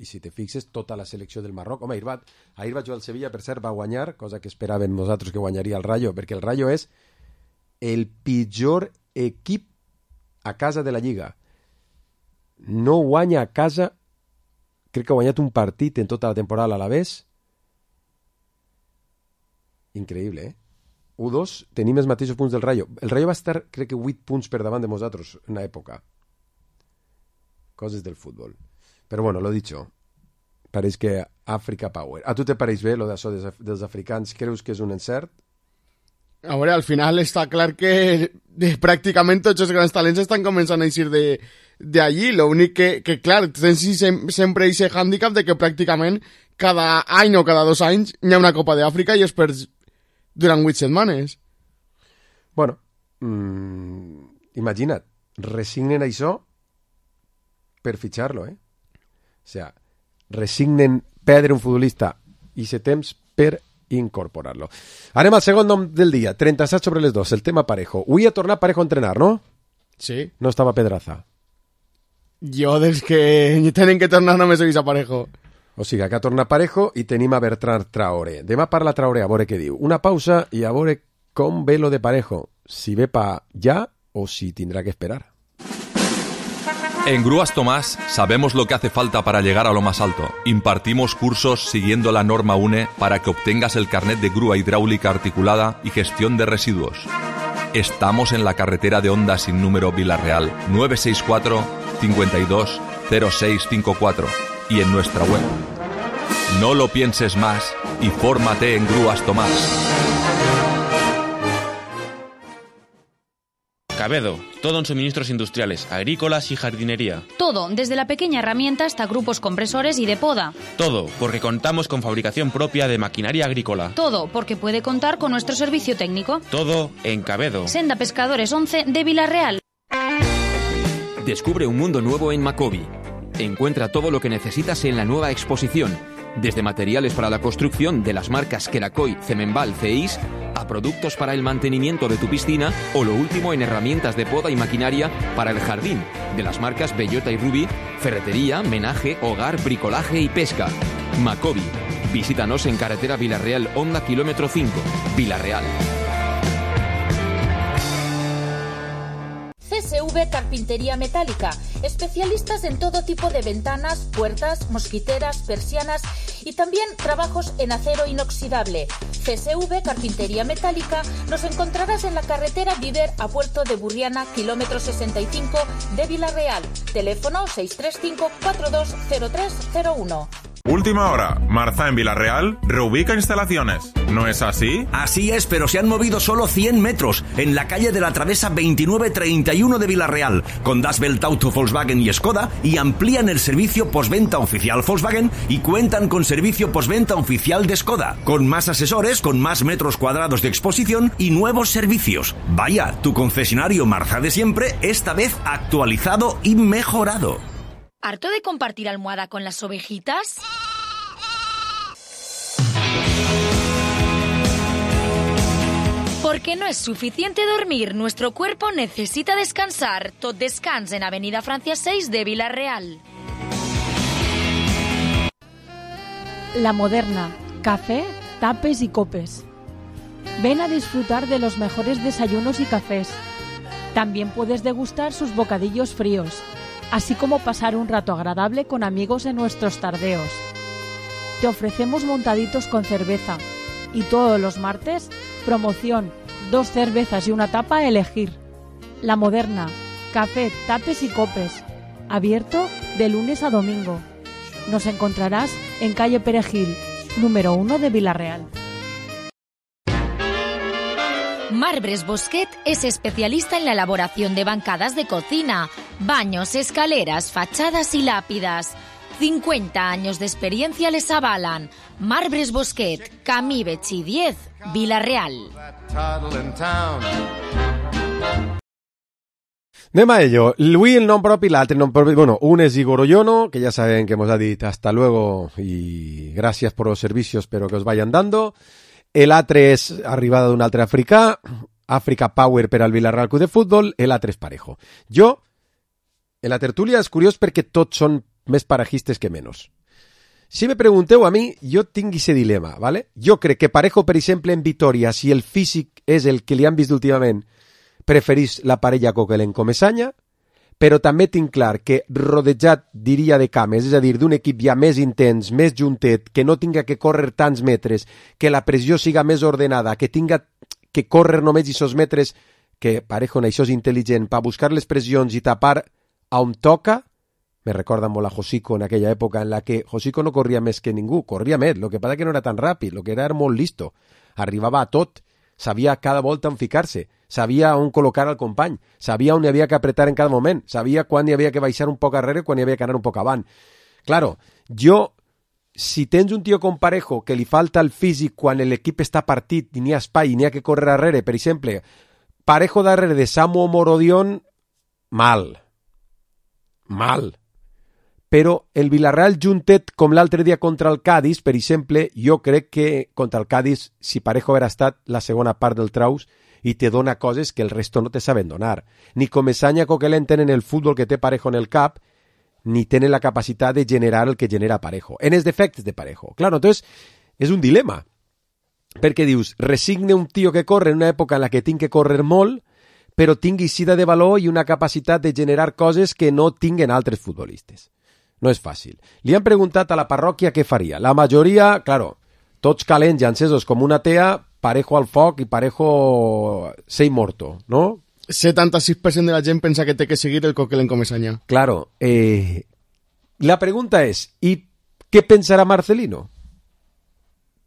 I si te fixes, tota la selecció del Marroc... Home, ahir va jugar al Sevilla, per cert, va guanyar, cosa que esperàvem nosaltres que guanyaria el Rayo, perquè el Rayo és el pitjor equip a casa de la Lliga. No guanya a casa, crec que ha guanyat un partit en tota la temporada a l'Alavés. Increïble, 1-2, tenim els mateixos punts del Rayo. El Rayo va estar, crec que 8 punts per davant de nosaltres en una època. Coses del futbol. Però bueno, lo dicho, pareix que Africa Power. A tu te pareix bé lo d'això dels africans? Creus que és un encert? A veure, al final està clar que pràcticament tots els grans talents estan començant a eixir de de allí. Lo únic que clar, tens sempre aquest hàndicap de que pràcticament cada any o cada 2 anys hi ha una Copa d'Àfrica i es perd durant 8 setmanes. Bueno, imagina't, resignen això per fitxar-lo, O sea, resignen perdre un futbolista i se temps per incorporar-lo. Anem al segon nom del dia, 37 sobre les 2, el tema Parejo. Avui ha tornat Parejo a entrenar, no? Sí. No estava Pedraza. Jo, des que tenen que tornar, només he vist a Parejo. O sigui, que ha tornat Parejo i tenim a Bertran Traoré. Demà parla Traoré, a veure què diu. Una pausa i a veure com ve lo de Parejo. Si ve pa ya o si tendrá que esperar. En Grúas Tomás sabemos lo que hace falta para llegar a lo más alto. Impartimos cursos siguiendo la norma UNE para que obtengas el carnet de grúa hidráulica articulada y gestión de residuos. Estamos en la carretera de Honda sin número Vilarreal, 964 52 0654 y en nuestra web. No lo pienses más y fórmate en Grúas Tomás. Cabedo, todo en suministros industriales, agrícolas y jardinería. Todo, desde la pequeña herramienta hasta grupos compresores y de poda. Todo, porque contamos con fabricación propia de maquinaria agrícola. Todo, porque puede contar con nuestro servicio técnico. Todo en Cabedo. Senda Pescadores 11 de Vilarreal. Descubre un mundo nuevo en Macobi. Encuentra todo lo que necesitas en la nueva exposición, desde materiales para la construcción de las marcas Kerakoy, Cemenbal, Ceis, a productos para el mantenimiento de tu piscina o lo último en herramientas de poda y maquinaria para el jardín, de las marcas Bellota y Ruby, ferretería, menaje, hogar, bricolaje y pesca. Macobi. Visítanos en carretera Vilarreal, Honda kilómetro 5, Vilarreal. CSV Carpintería Metálica, especialistas en todo tipo de ventanas, puertas, mosquiteras, persianas y también trabajos en acero inoxidable. CSV Carpintería Metálica nos encontrarás en la carretera Viver a Puerto de Burriana, kilómetro 65 de Vilarreal. Teléfono 635 420301. Última hora. Marza en Vilarreal reubica instalaciones. ¿No es así? Así es, pero se han movido solo 100 metros en la calle de la Travesa 2931 de Vilarreal, con Das Welt Auto Volkswagen y Skoda, y amplían el servicio postventa oficial Volkswagen y cuentan con servicio postventa oficial de Skoda, con más asesores, con más metros cuadrados de exposición y nuevos servicios. Vaya, tu concesionario Marza de siempre, esta vez actualizado y mejorado. ¿Harto de compartir almohada con las ovejitas? Porque no es suficiente dormir, nuestro cuerpo necesita descansar. Tot descans en Avenida Francia 6 de Vilarreal. La Moderna, café, tapes y copes. Ven a disfrutar de los mejores desayunos y cafés. También puedes degustar sus bocadillos fríos, así como pasar un rato agradable con amigos en nuestros tardeos. Te ofrecemos montaditos con cerveza y todos los martes, promoción, 2 cervezas y una tapa a elegir. La Moderna, café, tapes y copes, abierto de lunes a domingo. Nos encontrarás en calle Perejil, número 1 de Vilarreal. Marbres Bosquet es especialista en la elaboración de bancadas de cocina, baños, escaleras, fachadas y lápidas. 50 años de experiencia les avalan. Marbres Bosquet, Camí Betxí 10, Vilarreal. Anem a ello. Avui el nom propi, l'altre nom propi, bueno, un es Igor Ollono, que ya saben que hemos ha dit hasta luego y gracias por los servicios, pero que os vayan dando. El altre és arribada d'un altre africà, Africa Power per al Vilarreal Club de Futbol, el altre és Parejo. Jo, en la tertúlia és curiós perquè tots són més parejistes que menys. Si me pregunteu a mi, jo tinc aquest dilema, ¿vale? Jo crec que Parejo, per exemple, en Vitoria, si el físic és el que li han vist últimament, preferís la parella Coquelin-Comesaña, però també tinc clar que rodejat, diria, de cames, és a dir, d'un equip ja més intens, més juntet, que no tinga que córrer tants metres, que la pressió siga més ordenada, que tinga que córrer només aquests metres, que Parejo en això és intel·ligent, per buscar les pressions i tapar a on toca. Me recorda molt a Josico en aquella època en la que Josico no corria més que ningú, corria més, el que passa que no era tan ràpid, el que era molt listo, arribava a tot, sabia cada volta on ficar-se, sabia on col·locar el company, sabia on hi havia que apretar en cada moment, sabia quan hi havia que baixar un poc arrere, quan hi havia que anar un poc avant. Claro, si tens un tio com Parejo que li falta el físic quan l'equip està partit i n'hi ha espai i n'hi ha que córrer darrere, per exemple, Parejo darrere de Samu o Morodion, mal. Però el Villarreal juntet com l'altre dia contra el Cádiz, per exemple, jo crec que contra el Cádiz, si Parejo haguera estat la segona part del traus, i te dona coses que el resto no te saben donar. Ni Comesaña o Coquelin tenen el futbol que té Parejo en el cap, ni tenen la capacitat de generar el que genera Parejo. En els defectes de Parejo. Claro, entonces, és un dilema. Perquè dius, resigne un tio que corre en una època en la que tinc que córrer molt, però tingui sida de valor i una capacitat de generar coses que no tinguen altres futbolistes. No és fàcil. Li han preguntat a la parròquia què faria. La majoria, claro, tots calents i encesos com una tea, Parejo al foc i Parejo sei morto, ¿no? 76% de la gent pensa que té que seguir el Coquelin Comesaña. Claro. La pregunta és, ¿y qué pensará Marcelino?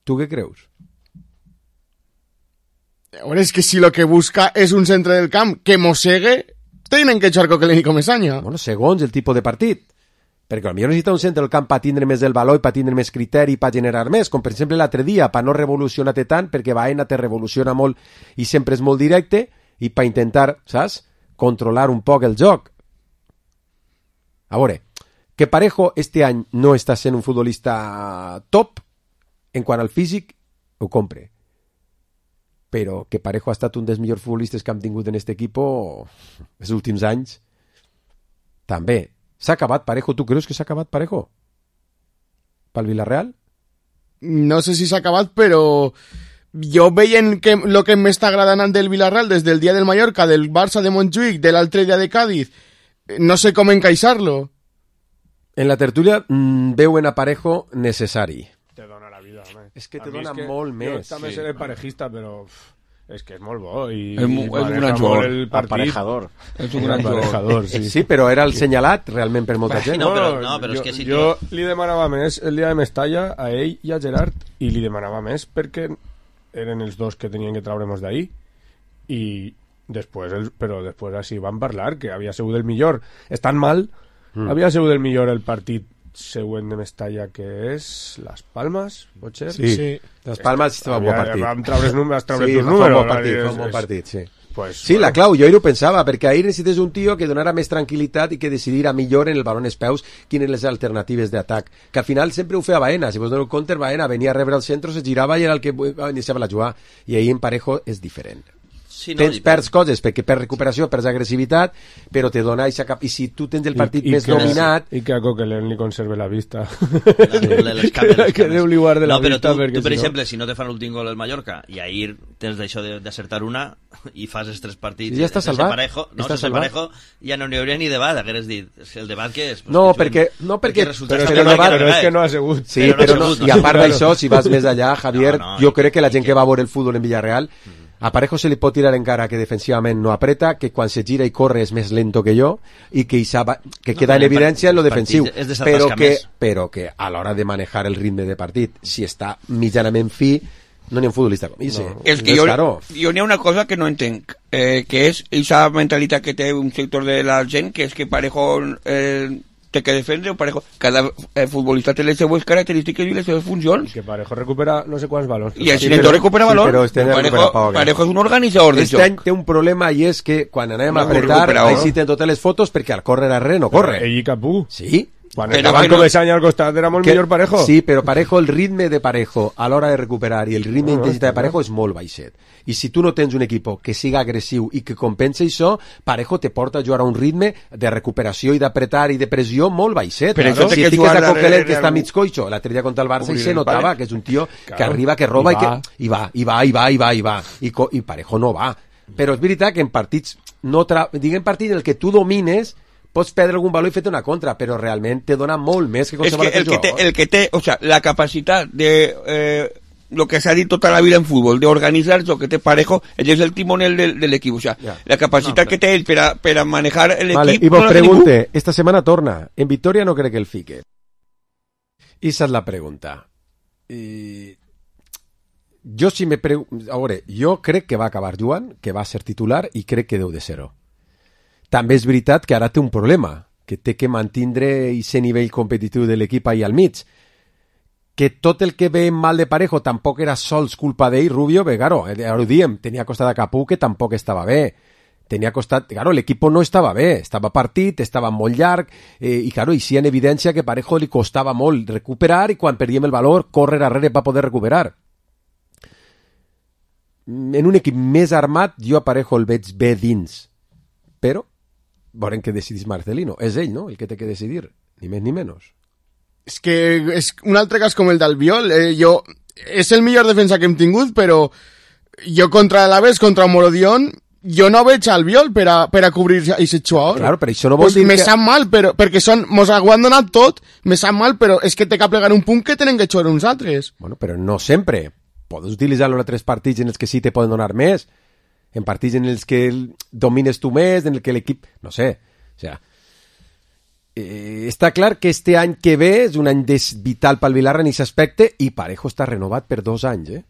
¿Tú qué creus? Ahora es que si lo que busca es un centre del camp que mossegue, tenen que echar Coquelin i Comesaña. Bueno, segons el tipus de partit. Perquè potser necessita un centre del camp per tindre més el valor i per tindre més criteri i per generar més, com per exemple l'altre dia, per no revolucionar-te tant, perquè Baena te revoluciona molt i sempre és molt directe, i per intentar, saps, controlar un poc el joc. A veure, que Parejo este any no està sent un futbolista top en quant al físic, ho compre. Però que Parejo ha estat un dels millors futbolistes que hem tingut en aquest equip els últims anys, també. S'ha acabat Parejo? Tu creus que s'ha acabat Parejo? Pel Villarreal? No sé si s'ha acabat, però jo veient que lo que m'està agradant del Villarreal des del dia del Mallorca, del Barça de Montjuïc, de l'altre dia de Cádiz, no sé com encaixar-lo. En la tertúlia veuen a Parejo necessari. Te dona la vida, home. És que te dona molt més. Jo també seré parejista, però és que és molt bo i és un gran jugador, el aparejador. És un gran aparejador, sí. Sí, però era el senyalat realment per molta gent. No, però és que sí. Jo li demanava més el dia de Mestalla a ell i a Gerard, i li demanava més perquè eren els dos que tenien que traure'ns d'ahí, i però després així van parlar que havia sigut el millor. Estan mal, havia sigut el millor el partit següent de Mestalla, que és Las Palmas, pot ser? Sí. Las Palmas va un bon partit. Vam treure els números, un bon partit, sí. Pues, sí, la clau, jo ahir ho pensava, perquè ahir necessites un tio que donara més tranquil·litat i que decidirà millor en el baló en els peus quines les alternatives d'atac, que al final sempre ho feia Baena. Si vos dono el counter, Baena venia a rebre el centre, se girava i era el que iniciava la jugar, i ahir en Parejo és diferent. Sí, no, perds coses, perquè perds recuperació, perds agressivitat, però te dona eixa cap... I si tu tens el partit més dominat... I que a Coquelin li conserve la vista. Que Déu li guarde la vista. No, però tu, per exemple, si no te fan l'últim gol el Mallorca, i ahir tens d'això d'acertar una, i fas els 3 partits... Ja està salvat. Parejo, no, sense Parejo, ja no n'hi hauria ni debat, hagueres dit. El debat que és... No, perquè... Però és que no ha sigut. Sí, però no. I a part d'això, si vas més allà, Javier, jo crec que la gent que va veure el futbol en Villarreal, a Parejo se li pot tirar en cara que defensivament no apreta, que quan se gira i corre és més lento que jo, i que queda en evidència en lo defensiu, però que a l'hora de manejar el ritme de partit, si està mitjanament fi, no n'hi ha un futbolista com ell. És que jo n'hi ha una cosa que no entenc, que és aquesta mentalitat que té un sector de la gent, que és que Parejo té que defendre o Parejo. Cada futbolista té les seues característiques i les seves funcions. Que Parejo recupera no sé quants valors. I el Sinetó recupera valors. Parejo és un organitzador del joc. Aquest any té un problema i és que quan anem a apretar, ahí sí tenen totes les fotos perquè al córrer arrere no corre. Ell i Capú. Sí. Quan estaven Comesaña al costat era molt millor Parejo. Sí, però Parejo, el ritme de Parejo a l'hora de recuperar i el ritme d'intensitat de Parejo és molt baixet. I si tu no tens un equip que siga agressiu i que compensa això, Parejo te porta a jugar a un ritme de recuperació i d'apretar i de pressió molt baixet. Però si fiques a Coquelin que està mig coixo, l'altre dia contra el Barça i se notava que és un tio que arriba, que roba i va. I Parejo no va. Però és veritat que en partits, diguem partits en el que tu domines, pots perdre algun valor i fer-te una contra, però realment te dona molt més que qualsevol altre jugador. El que té, o sea, la capacitat de lo que s'ha dit tota la vida en futbol, de organitzar el que té Parejo, ell és el timonel de l'equip, o sea, la capacitat que té ell per a manejar l'equip. Vale, i vos pregunte, esta setmana torna, en Victoria no crec que el fique. I esa és la pregunta. jo crec que va acabar jugant, que va ser titular i crec que deu de ser-ho. També és veritat que ara té un problema, que té que mantindre aquest nivell competitiu de l'equip ahí al mig. Que tot el que ve mal de Parejo tampoc era sols culpa d'ell, Rubio, bé, claro, ara ho diem, tenia costat a Capú que tampoc estava bé. Tenia costat, claro, l'equip no estava bé, estava partit, estava molt llarg, i claro, hi sí en evidència que a Parejo li costava molt recuperar i quan perdíem el valor, córrer darrere per poder recuperar. En un equip més armat, jo a Parejo el veig bé dins, però veurem què decidís Marcelino. És ell, no?, el que té que decidir, ni més ni menys. És que és un altre cas com el d'Albiol. És el millor defensa que hem tingut, però jo contra l'Aves, contra Morodion, jo no veig Albiol per a cobrir aquest jugador. Claro, però això no vol dir me sap mal, perquè mos ho han donat tot, me sap mal, però és que té que plegar un punt que tenen que jugar uns altres. Bueno, però no sempre. Podes utilitzar-lo en altres partits en els que sí te poden donar més, en partits en els que domines tu més, en el que l'equip... No sé, o sea... està clar que este any que ve és un any vital pel Vilarra en aquest aspecte i Parejo està renovat per 2 anys,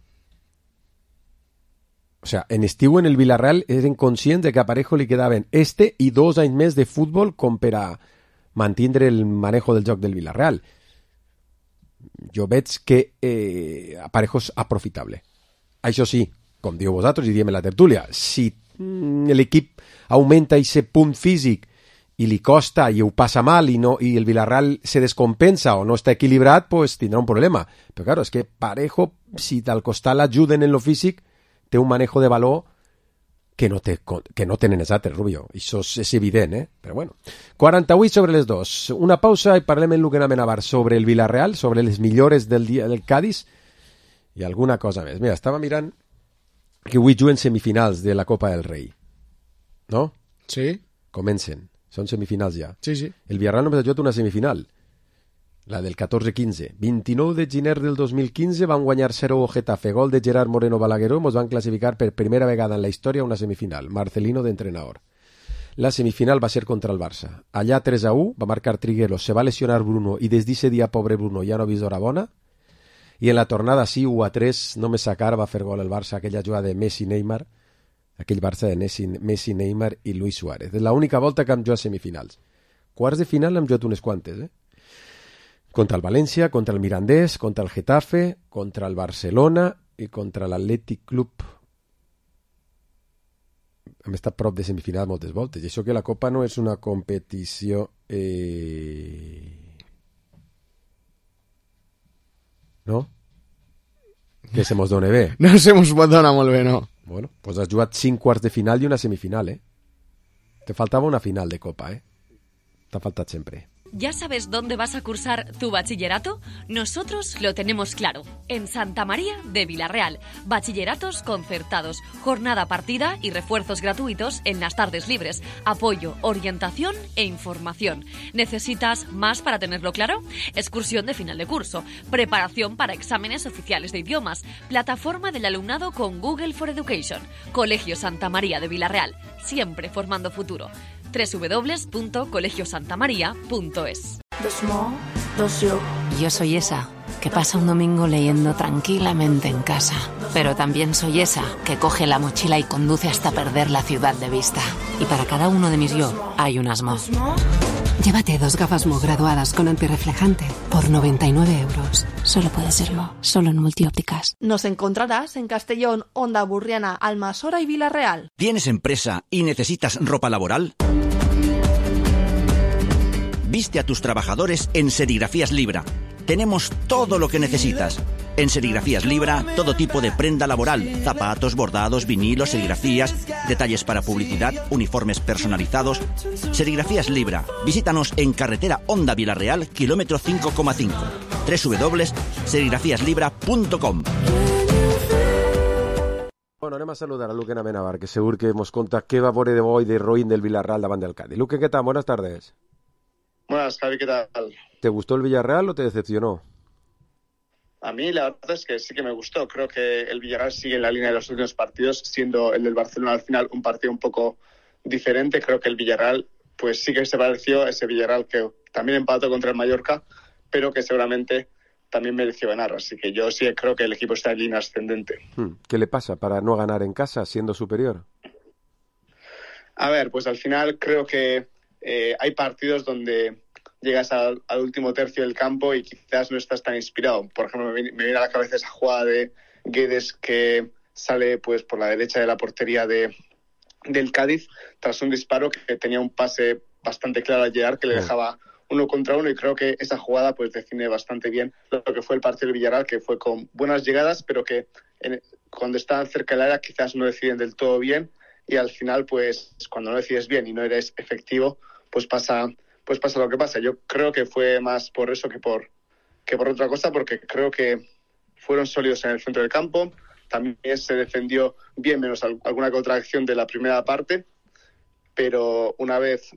O sea, en estiu en el Villarreal eren conscients de que a Parejo li quedaven i 2 anys més de futbol com per a mantindre el manejo del joc del Villarreal. Jo veig que Parejo és aprofitable. Això sí, com diu vosaltres i diem en la tertúlia, si l'equip augmenta aquest punt físic i li costa i ho passa mal i el Villarreal se descompensa o no està equilibrat, pues tindrà un problema. Però claro, és que Parejo, si al costat l'ajuden en lo físic, té un manejo de valor que no tenen els altres, Rubio. Això és evident, Però bueno. 48 sobre les 2. Una pausa i parlem en el que anem a sobre el Villarreal, sobre les millores del dia del Cádiz i alguna cosa més. Mira, estava mirant que avui juguen semifinals de la Copa del Rei. No? Sí. Comencen. Són semifinals ja. Sí, sí. El Villarreal només ha jugat una semifinal, la del 14-15. 29 de gener del 2015 van guanyar 0 Getafe, gol de Gerard Moreno Balagueró, mos van classificar per primera vegada en la història una semifinal. Marcelino d'entrenador. La semifinal va ser contra el Barça. Allà 3-1, va marcar Trigueros, se va lesionar Bruno i des d'aquest dia, pobre Bruno, ja no ha vist hora bona. I en la tornada sí, 1-3, només Sacar va fer gol el Barça, aquella jugada de Messi-Neymar, aquell Barça de Messi, Neymar i Luis Suárez. És l'única volta que hem jugat semifinals. Quarts de final hem jugat unes quantes, Contra el València, contra el Mirandés, contra el Getafe, contra el Barcelona i contra l'Atlètic Club. Hem estat prop de semifinals moltes voltes. I això que la Copa no és una competició... No? Que se mos dona bé. No se mos dona molt bé, no. Bueno, pues has jugat 5 quarts de final i una semifinal, Te faltava una final de Copa, T'ha faltat sempre. ¿Ya sabes dónde vas a cursar tu bachillerato? Nosotros lo tenemos claro. En Santa María de Vilarreal. Bachilleratos concertados, jornada partida y refuerzos gratuitos en las tardes libres. Apoyo, orientación e información. ¿Necesitas más para tenerlo claro? Excursión de final de curso. Preparación para exámenes oficiales de idiomas. Plataforma del alumnado con Google for Education. Colegio Santa María de Vilarreal. Siempre formando futuro. www.colegiosantamaria.es. Yo soy esa que pasa un domingo leyendo tranquilamente en casa, pero también soy esa que coge la mochila y conduce hasta perder la ciudad de vista. Y para cada uno de mis yo hay un Asmo. Llévate 2 gafas Mo graduadas con antirreflejante por 99 euros. Solo puede serlo, solo en Multiópticas. Nos encontrarás en Castellón, Onda Burriana, Almasora y Vilarreal. ¿Tienes empresa y necesitas ropa laboral? Viste a tus trabajadores en Serigrafías Libra. Tenemos todo lo que necesitas. En Serigrafías Libra, todo tipo de prenda laboral, zapatos, bordados, vinilos, serigrafías, detalles para publicidad, uniformes personalizados. Serigrafías Libra. Visítanos en carretera Onda Vilarreal, kilómetro 5,5. www.serigrafíaslibra.com. Bueno, anem a saludar a Luque Amenabar, que segur que nos conta què va veure de bo i de roïn del Villarreal davant del Cádiz. Luque, ¿qué tal? Buenas tardes. Buenas, Javi, ¿qué tal? ¿Te gustó el Villarreal o te decepcionó? A mí la verdad es que sí que me gustó. Creo que el Villarreal sigue en la línea de los últimos partidos, siendo el del Barcelona al final un partido un poco diferente. Creo que el Villarreal pues sí que se pareció a ese Villarreal que también empató contra el Mallorca, pero que seguramente también mereció ganar. Así que yo sí creo que el equipo está en línea ascendente. ¿Qué le pasa para no ganar en casa siendo superior? A ver, pues al final creo que hay partidos donde llegas al último tercio del campo y quizás no estás tan inspirado. Por ejemplo, me viene a la cabeza esa jugada de Guedes que sale pues por la derecha de la portería del Cádiz tras un disparo que tenía un pase bastante claro a Gerard que le dejaba 1 contra 1, y creo que esa jugada pues define bastante bien lo que fue el partido del Villarreal, que fue con buenas llegadas, pero que cuando estaban cerca del área quizás no deciden del todo bien, y al final pues cuando no decides bien y no eres efectivo pues pasa lo que pasa. Yo creo que fue más por eso que por otra cosa, porque creo que fueron sólidos en el centro del campo, también se defendió bien, menos alguna contracción de la primera parte, pero una vez,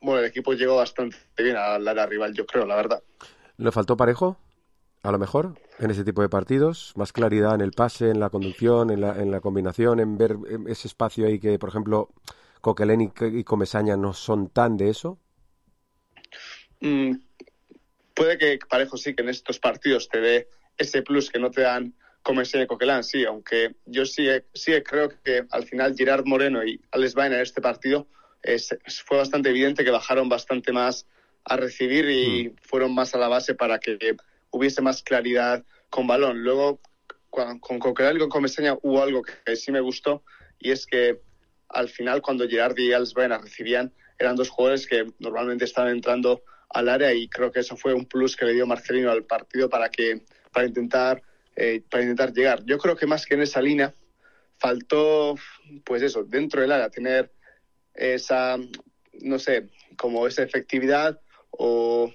el equipo llegó bastante bien al área rival, yo creo, la verdad. ¿Le faltó Parejo? A lo mejor, en ese tipo de partidos, más claridad en el pase, en la conducción, en la combinación, en ver ese espacio ahí que, por ejemplo, Coquelin y Comesaña no son tan de eso. Puede que Parejo sí que en estos partidos te dé ese plus que no te dan Comesaña y Coquelin, sí, aunque yo sí creo que al final Gerard Moreno y Alex Baena en este partido fue bastante evidente que bajaron bastante más a recibir y fueron más a la base para que hubiese más claridad con balón. Luego, con Coquelin y con Comesaña hubo algo que sí me gustó, y es que al final cuando Gerard y Alex Baena recibían, eran 2 jugadores que normalmente estaban entrando al área, y creo que eso fue un plus que le dio Marcelino al partido para intentar llegar. Yo creo que más que en esa línea faltó, pues eso, dentro del área tener esa, no sé, como esa efectividad o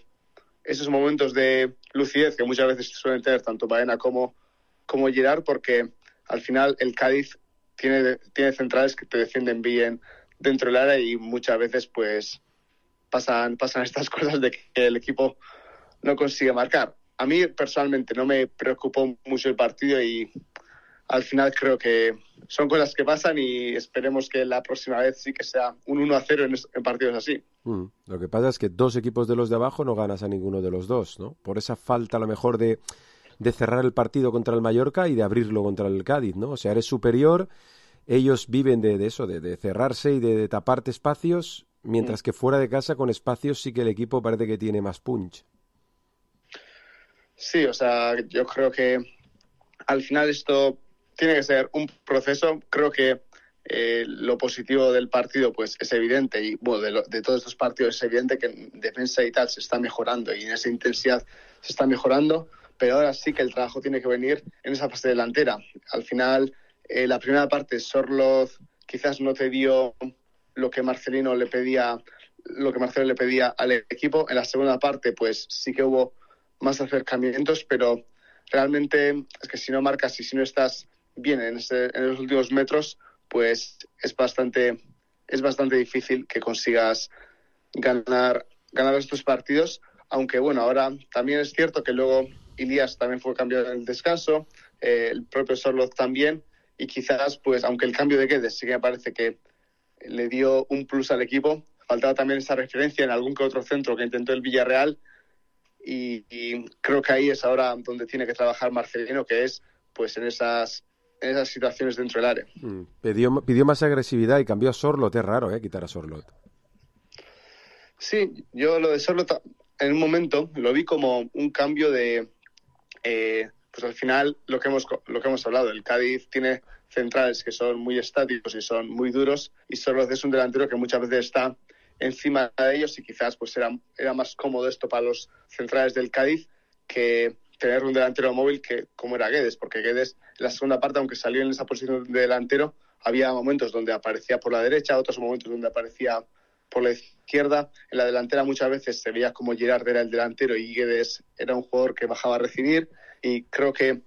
esos momentos de lucidez que muchas veces suelen tener tanto Baena como Gerard, porque al final el Cádiz tiene centrales que te defienden bien dentro del área, y muchas veces pues pasan estas cosas de que el equipo no consigue marcar. A mí personalmente no me preocupó mucho el partido, y al final creo que son cosas que pasan, y esperemos que la próxima vez sí que sea un 1-0 en partidos así. Lo que pasa es que 2 equipos de los de abajo no ganas a ninguno de los 2, ¿no? Por esa falta a lo mejor de cerrar el partido contra el Mallorca y de abrirlo contra el Cádiz, ¿no? O sea, eres superior, ellos viven de eso, de cerrarse y de taparte espacios, mientras que fuera de casa con espacios sí que el equipo parece que tiene más punch. Sí, o sea, yo creo que al final esto tiene que ser un proceso. Creo que lo positivo del partido pues es evidente, y de todos estos partidos es evidente que en defensa y tal se está mejorando, y en esa intensidad se está mejorando, pero ahora sí que el trabajo tiene que venir en esa fase delantera. Al final, la primera parte Sorloz quizás no te dio lo que Marcelino le pedía al equipo. En la segunda parte pues sí que hubo más acercamientos, pero realmente es que si no marcas y si no estás bien en los últimos metros, pues es bastante difícil que consigas ganar estos partidos. Aunque ahora también es cierto que luego Ilias también fue cambiado en el descanso, el propio Sorloz también, y quizás pues aunque el cambio de Guedes sí que me parece que le dio un plus al equipo, faltaba también esa referencia en algún que otro centro que intentó el Villarreal, y creo que ahí es ahora donde tiene que trabajar Marcelino, que es pues en esas situaciones dentro del área. Pidió más agresividad y cambió a Sorloth. Es raro, quitar a Sorloth. Sí, yo lo de Sorloth en un momento lo vi como un cambio de pues al final lo que hemos hablado, el Cádiz tiene centrales que son muy estáticos y son muy duros, y Sorloth es un delantero que muchas veces está encima de ellos, y quizás pues era más cómodo esto para los centrales del Cádiz que tener un delantero móvil que como era Guedes, porque Guedes en la segunda parte, aunque salió en esa posición de delantero, había momentos donde aparecía por la derecha, otros momentos donde aparecía por la izquierda. En la delantera muchas veces se veía como Gerard era el delantero y Guedes era un jugador que bajaba a recibir, y creo que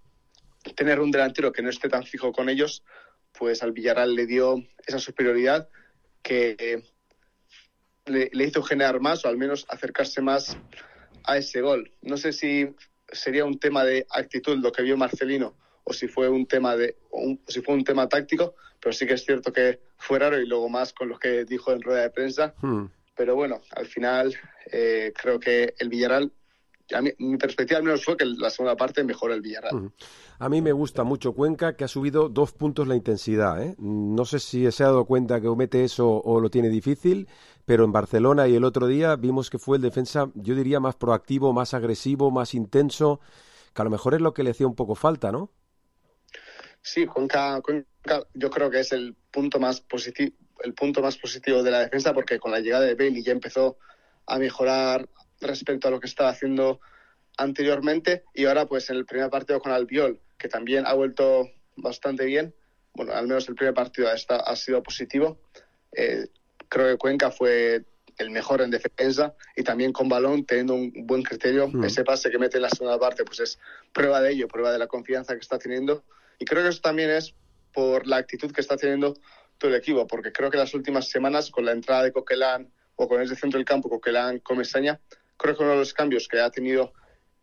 tener un delantero que no esté tan fijo con ellos, pues al Villarreal le dio esa superioridad que le hizo generar más, o al menos acercarse más a ese gol. No sé si sería un tema de actitud lo que vio Marcelino, o si fue un tema táctico, pero sí que es cierto que fue raro, y luego más con lo que dijo en rueda de prensa. Pero al final creo que el Villarreal a mí, mi perspectiva al menos fue que la segunda parte mejoró el Villarreal. A mí me gusta mucho Cuenca, que ha subido 2 puntos la intensidad, ¿eh? No sé si se ha dado cuenta que mete eso o lo tiene difícil, pero en Barcelona y el otro día vimos que fue el defensa, yo diría, más proactivo, más agresivo, más intenso, que a lo mejor es lo que le hacía un poco falta, ¿no? Sí, Cuenca yo creo que es el punto más positivo de la defensa, porque con la llegada de Bailey ya empezó a mejorar respecto a lo que estaba haciendo anteriormente, y ahora pues en el primer partido con Albiol, que también ha vuelto bastante bien, bueno, al menos el primer partido ha sido positivo. Creo que Cuenca fue el mejor en defensa, y también con balón, teniendo un buen criterio. Ese pase que mete en la segunda parte pues es prueba de ello, prueba de la confianza que está teniendo, y creo que eso también es por la actitud que está teniendo todo el equipo, porque creo que las últimas semanas, con la entrada de Coquelin o con ese centro del campo, Coquelin con Messaña, creo que uno de los cambios que ha tenido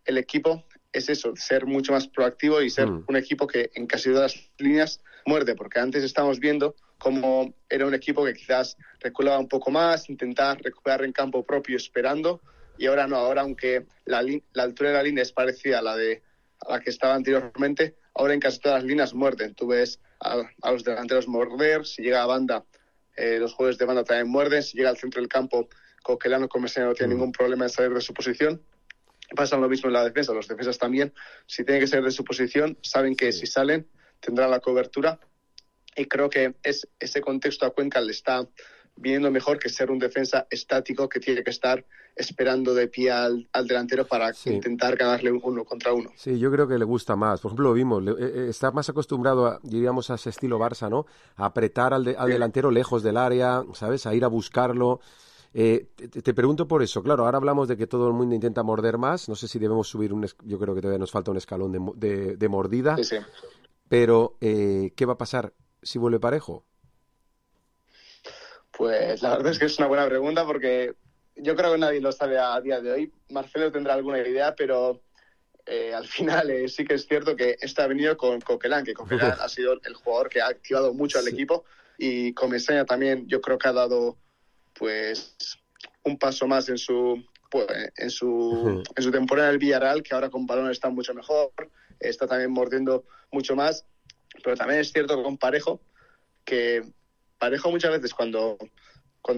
el equipo es eso, ser mucho más proactivo y ser un equipo que en casi todas las líneas muerde, porque antes estábamos viendo cómo era un equipo que quizás reculaba un poco más, intentar recuperar en campo propio esperando, y ahora no, ahora aunque la altura de la línea es parecida a la que estaba anteriormente, ahora en casi todas las líneas muerden. Tú ves a los delanteros morder, si llega a banda, los jugadores de banda también muerden, si llega al centro del campo, Coquelin con Messaña no tiene ningún problema en salir de su posición. Pasa lo mismo en la defensa, los defensas también, si tienen que salir de su posición, saben que si salen tendrán la cobertura, y creo que ese contexto a Cuenca le está viniendo mejor que ser un defensa estático que tiene que estar esperando de pie al delantero para intentar ganarle 1 contra 1. Sí, yo creo que le gusta más. Por ejemplo, lo vimos, está más acostumbrado, diríamos, a ese estilo Barça, ¿no? A apretar al delantero lejos del área, ¿sabes? A ir a buscarlo. Te pregunto por eso. Claro, ahora hablamos de que todo el mundo intenta morder más. No sé si debemos subir yo creo que todavía nos falta un escalón de mordida. Sí. Pero, ¿qué va a pasar si vuelve Parejo? Pues la verdad es que es una buena pregunta, porque yo creo que nadie lo sabe a día de hoy. Marcelo tendrá alguna idea, pero al final sí que es cierto que ha venido con Coquelin, que Coquelin ha sido el jugador que ha activado mucho al equipo, y con Messaña también yo creo que ha dado pues un paso más en su temporada en el Villarreal, que ahora con balón está mucho mejor, está también mordiendo mucho más. Pero también es cierto con Parejo, que Parejo muchas veces cuando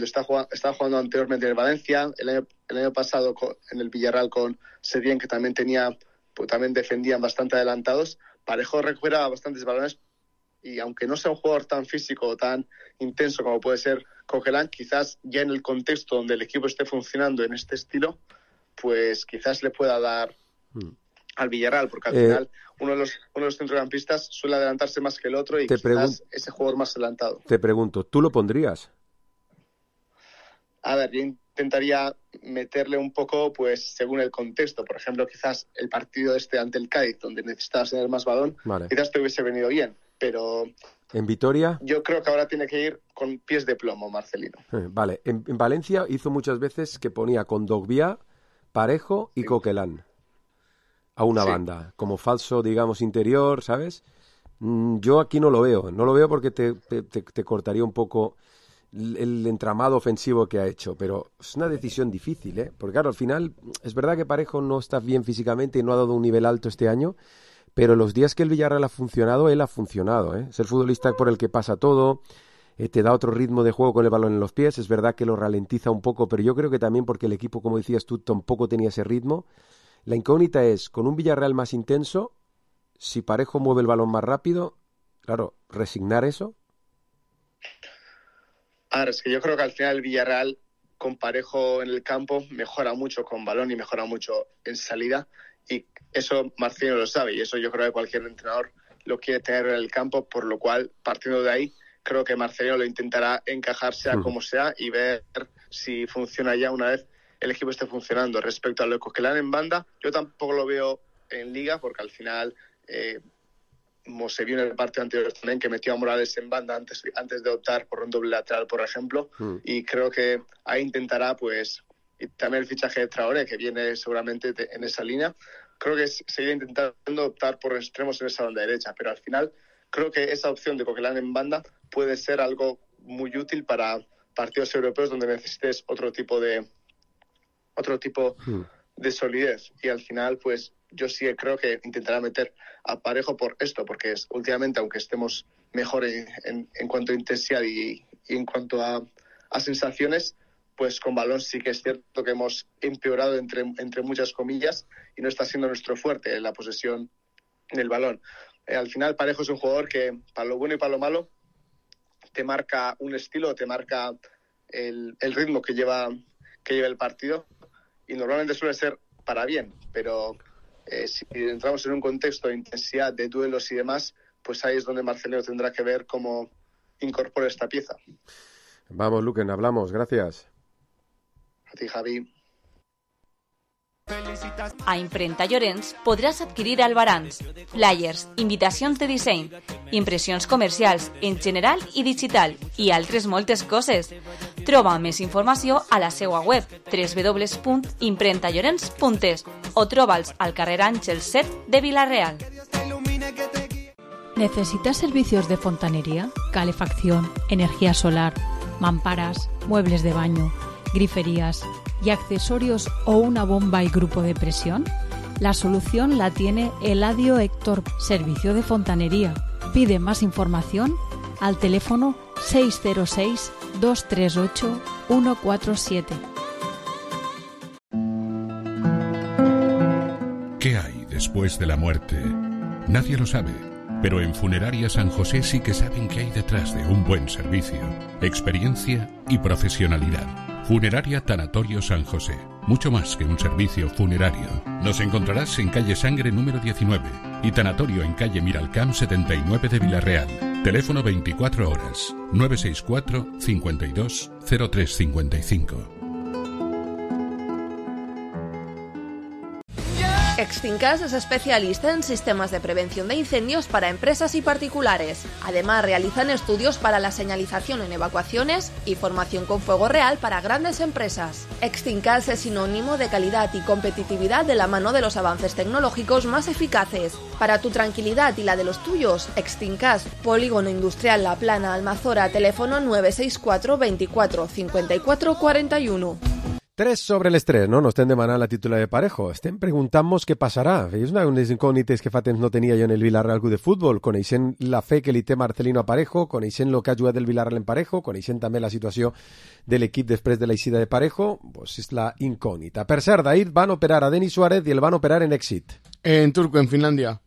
estaba jugando anteriormente en el Valencia, el año pasado en el Villarreal con Setién, que también también defendían bastante adelantados, Parejo recuperaba bastantes balones, y aunque no sea un jugador tan físico o tan intenso como puede ser Coquelin, quizás ya en el contexto donde el equipo esté funcionando en este estilo, pues quizás le pueda dar al Villarreal, porque al final uno de los centrocampistas suele adelantarse más que el otro, y quizás ese jugador más adelantado. Te pregunto, ¿tú lo pondrías? A ver, yo intentaría meterle un poco, pues, según el contexto. Por ejemplo, quizás el partido ante el Cádiz, donde necesitabas tener más balón, quizás te hubiese venido bien, pero ¿en Vitoria? Yo creo que ahora tiene que ir con pies de plomo, Marcelino. Vale, en Valencia hizo muchas veces que ponía con Dogbia, Parejo y Coquelin a una banda, como falso, digamos, interior, ¿sabes? Yo aquí no lo veo porque te cortaría un poco el entramado ofensivo que ha hecho, pero es una decisión difícil, ¿eh? Porque claro, al final es verdad que Parejo no está bien físicamente y no ha dado un nivel alto este año, pero los días que el Villarreal ha funcionado, él ha funcionado, ¿eh? Es el futbolista por el que pasa todo, te da otro ritmo de juego con el balón en los pies, es verdad que lo ralentiza un poco, pero yo creo que también porque el equipo, como decías tú, tampoco tenía ese ritmo. La incógnita es, con un Villarreal más intenso, si Parejo mueve el balón más rápido, claro, resignar eso. Ahora, es que yo creo que al final el Villarreal con Parejo en el campo mejora mucho con balón y mejora mucho en salida, y eso Marcelo lo sabe, y eso yo creo que cualquier entrenador lo quiere tener en el campo, por lo cual, partiendo de ahí, creo que Marcelo lo intentará encajar sea como sea y ver si funciona ya una vez el equipo esté funcionando. Respecto a lo de Coquelin en banda, yo tampoco lo veo en Liga, porque al final, como se vio en el partido anterior también, que metió a Morales en banda antes de optar por un doble lateral, por ejemplo, y creo que ahí intentará, pues, y también el fichaje de Traoré, que viene seguramente en esa línea, creo que seguirá intentando optar por extremos en esa banda derecha, pero al final creo que esa opción de Coquelin en banda puede ser algo muy útil para partidos europeos donde necesites otro tipo de solidez. Y al final, pues yo sí creo que intentará meter a Parejo por esto, porque últimamente, aunque estemos mejor en cuanto a intensidad y en cuanto a sensaciones, pues con balón sí que es cierto que hemos empeorado entre muchas comillas y no está siendo nuestro fuerte la posesión del balón. Al final Parejo es un jugador que para lo bueno y para lo malo te marca un estilo, te marca el ritmo que lleva el partido, y normalmente suele ser para bien, pero si entramos en un contexto de intensidad, de duelos y demás, pues ahí es donde Marcelino tendrá que ver cómo incorpora esta pieza. Vamos, Luquen, hablamos, gracias. A ti, Javi. A Imprenta Llorenç podràs adquirir albarans, flyers, invitacions de disseny, impressions comercials en general i digital i altres moltes coses. Troba més informació a la seva web www.imprentallorenç.es o troba'ls al carrer Àngel 7 de Vila-real. ¿Necesitas servicios de fontanería, calefacción, energía solar, mamparas, muebles de baño, griferías y accesorios o una bomba y grupo de presión? La solución la tiene Eladio Héctor, servicio de fontanería. Pide más información al teléfono 606-238-147. ¿Qué hay después de la muerte? Nadie lo sabe, pero en Funeraria San José sí que saben qué hay detrás de un buen servicio, experiencia y profesionalidad. Funeraria Tanatorio San José. Mucho más que un servicio funerario. Nos encontrarás en calle Sangre número 19 y Tanatorio en calle Miralcamp 79 de Vila-real. Teléfono 24 horas 964 52 0355. Extincas es especialista en sistemas de prevención de incendios para empresas y particulares. Además, realizan estudios para la señalización en evacuaciones y formación con fuego real para grandes empresas. Extincas es sinónimo de calidad y competitividad de la mano de los avances tecnológicos más eficaces. Para tu tranquilidad y la de los tuyos, Extincas, Polígono Industrial La Plana, Almazora, teléfono 964 24 54 41. 3 sobre les 3, no? Nos estem demanant la títula de Parejo. Estem preguntant-nos què passarà. És una de les incògnites que fa temps no tenia jo en el Villarreal Club de Futbol, coneixent la fe que li té Marcelino a Parejo, coneixent el que ha jugat el Villarreal en Parejo, coneixent també la situació de l'equip després de l'eixida de Parejo, pues és la incògnita. Per cert, ahir van operar a Denis Suárez i el van operar en èxit. En Turku, en Finlàndia.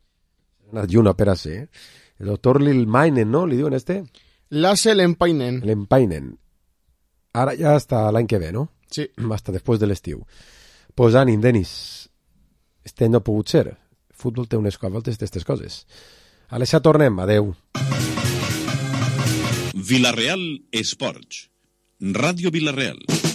Una operació, ¿eh? El doctor Lilmainen, ¿no? ¿Li diuen este? Lasse Lempainen. Lempainen. Ara ja hasta l'any que ve, no? Sí. Hasta després de l'estiu. Pues ànim, Denis. Este no ha pogut ser. El futbol té unes voltes d'aquestes coses. A l'Aixa tornem. Adeu. Villarreal Esports. Ràdio Villarreal.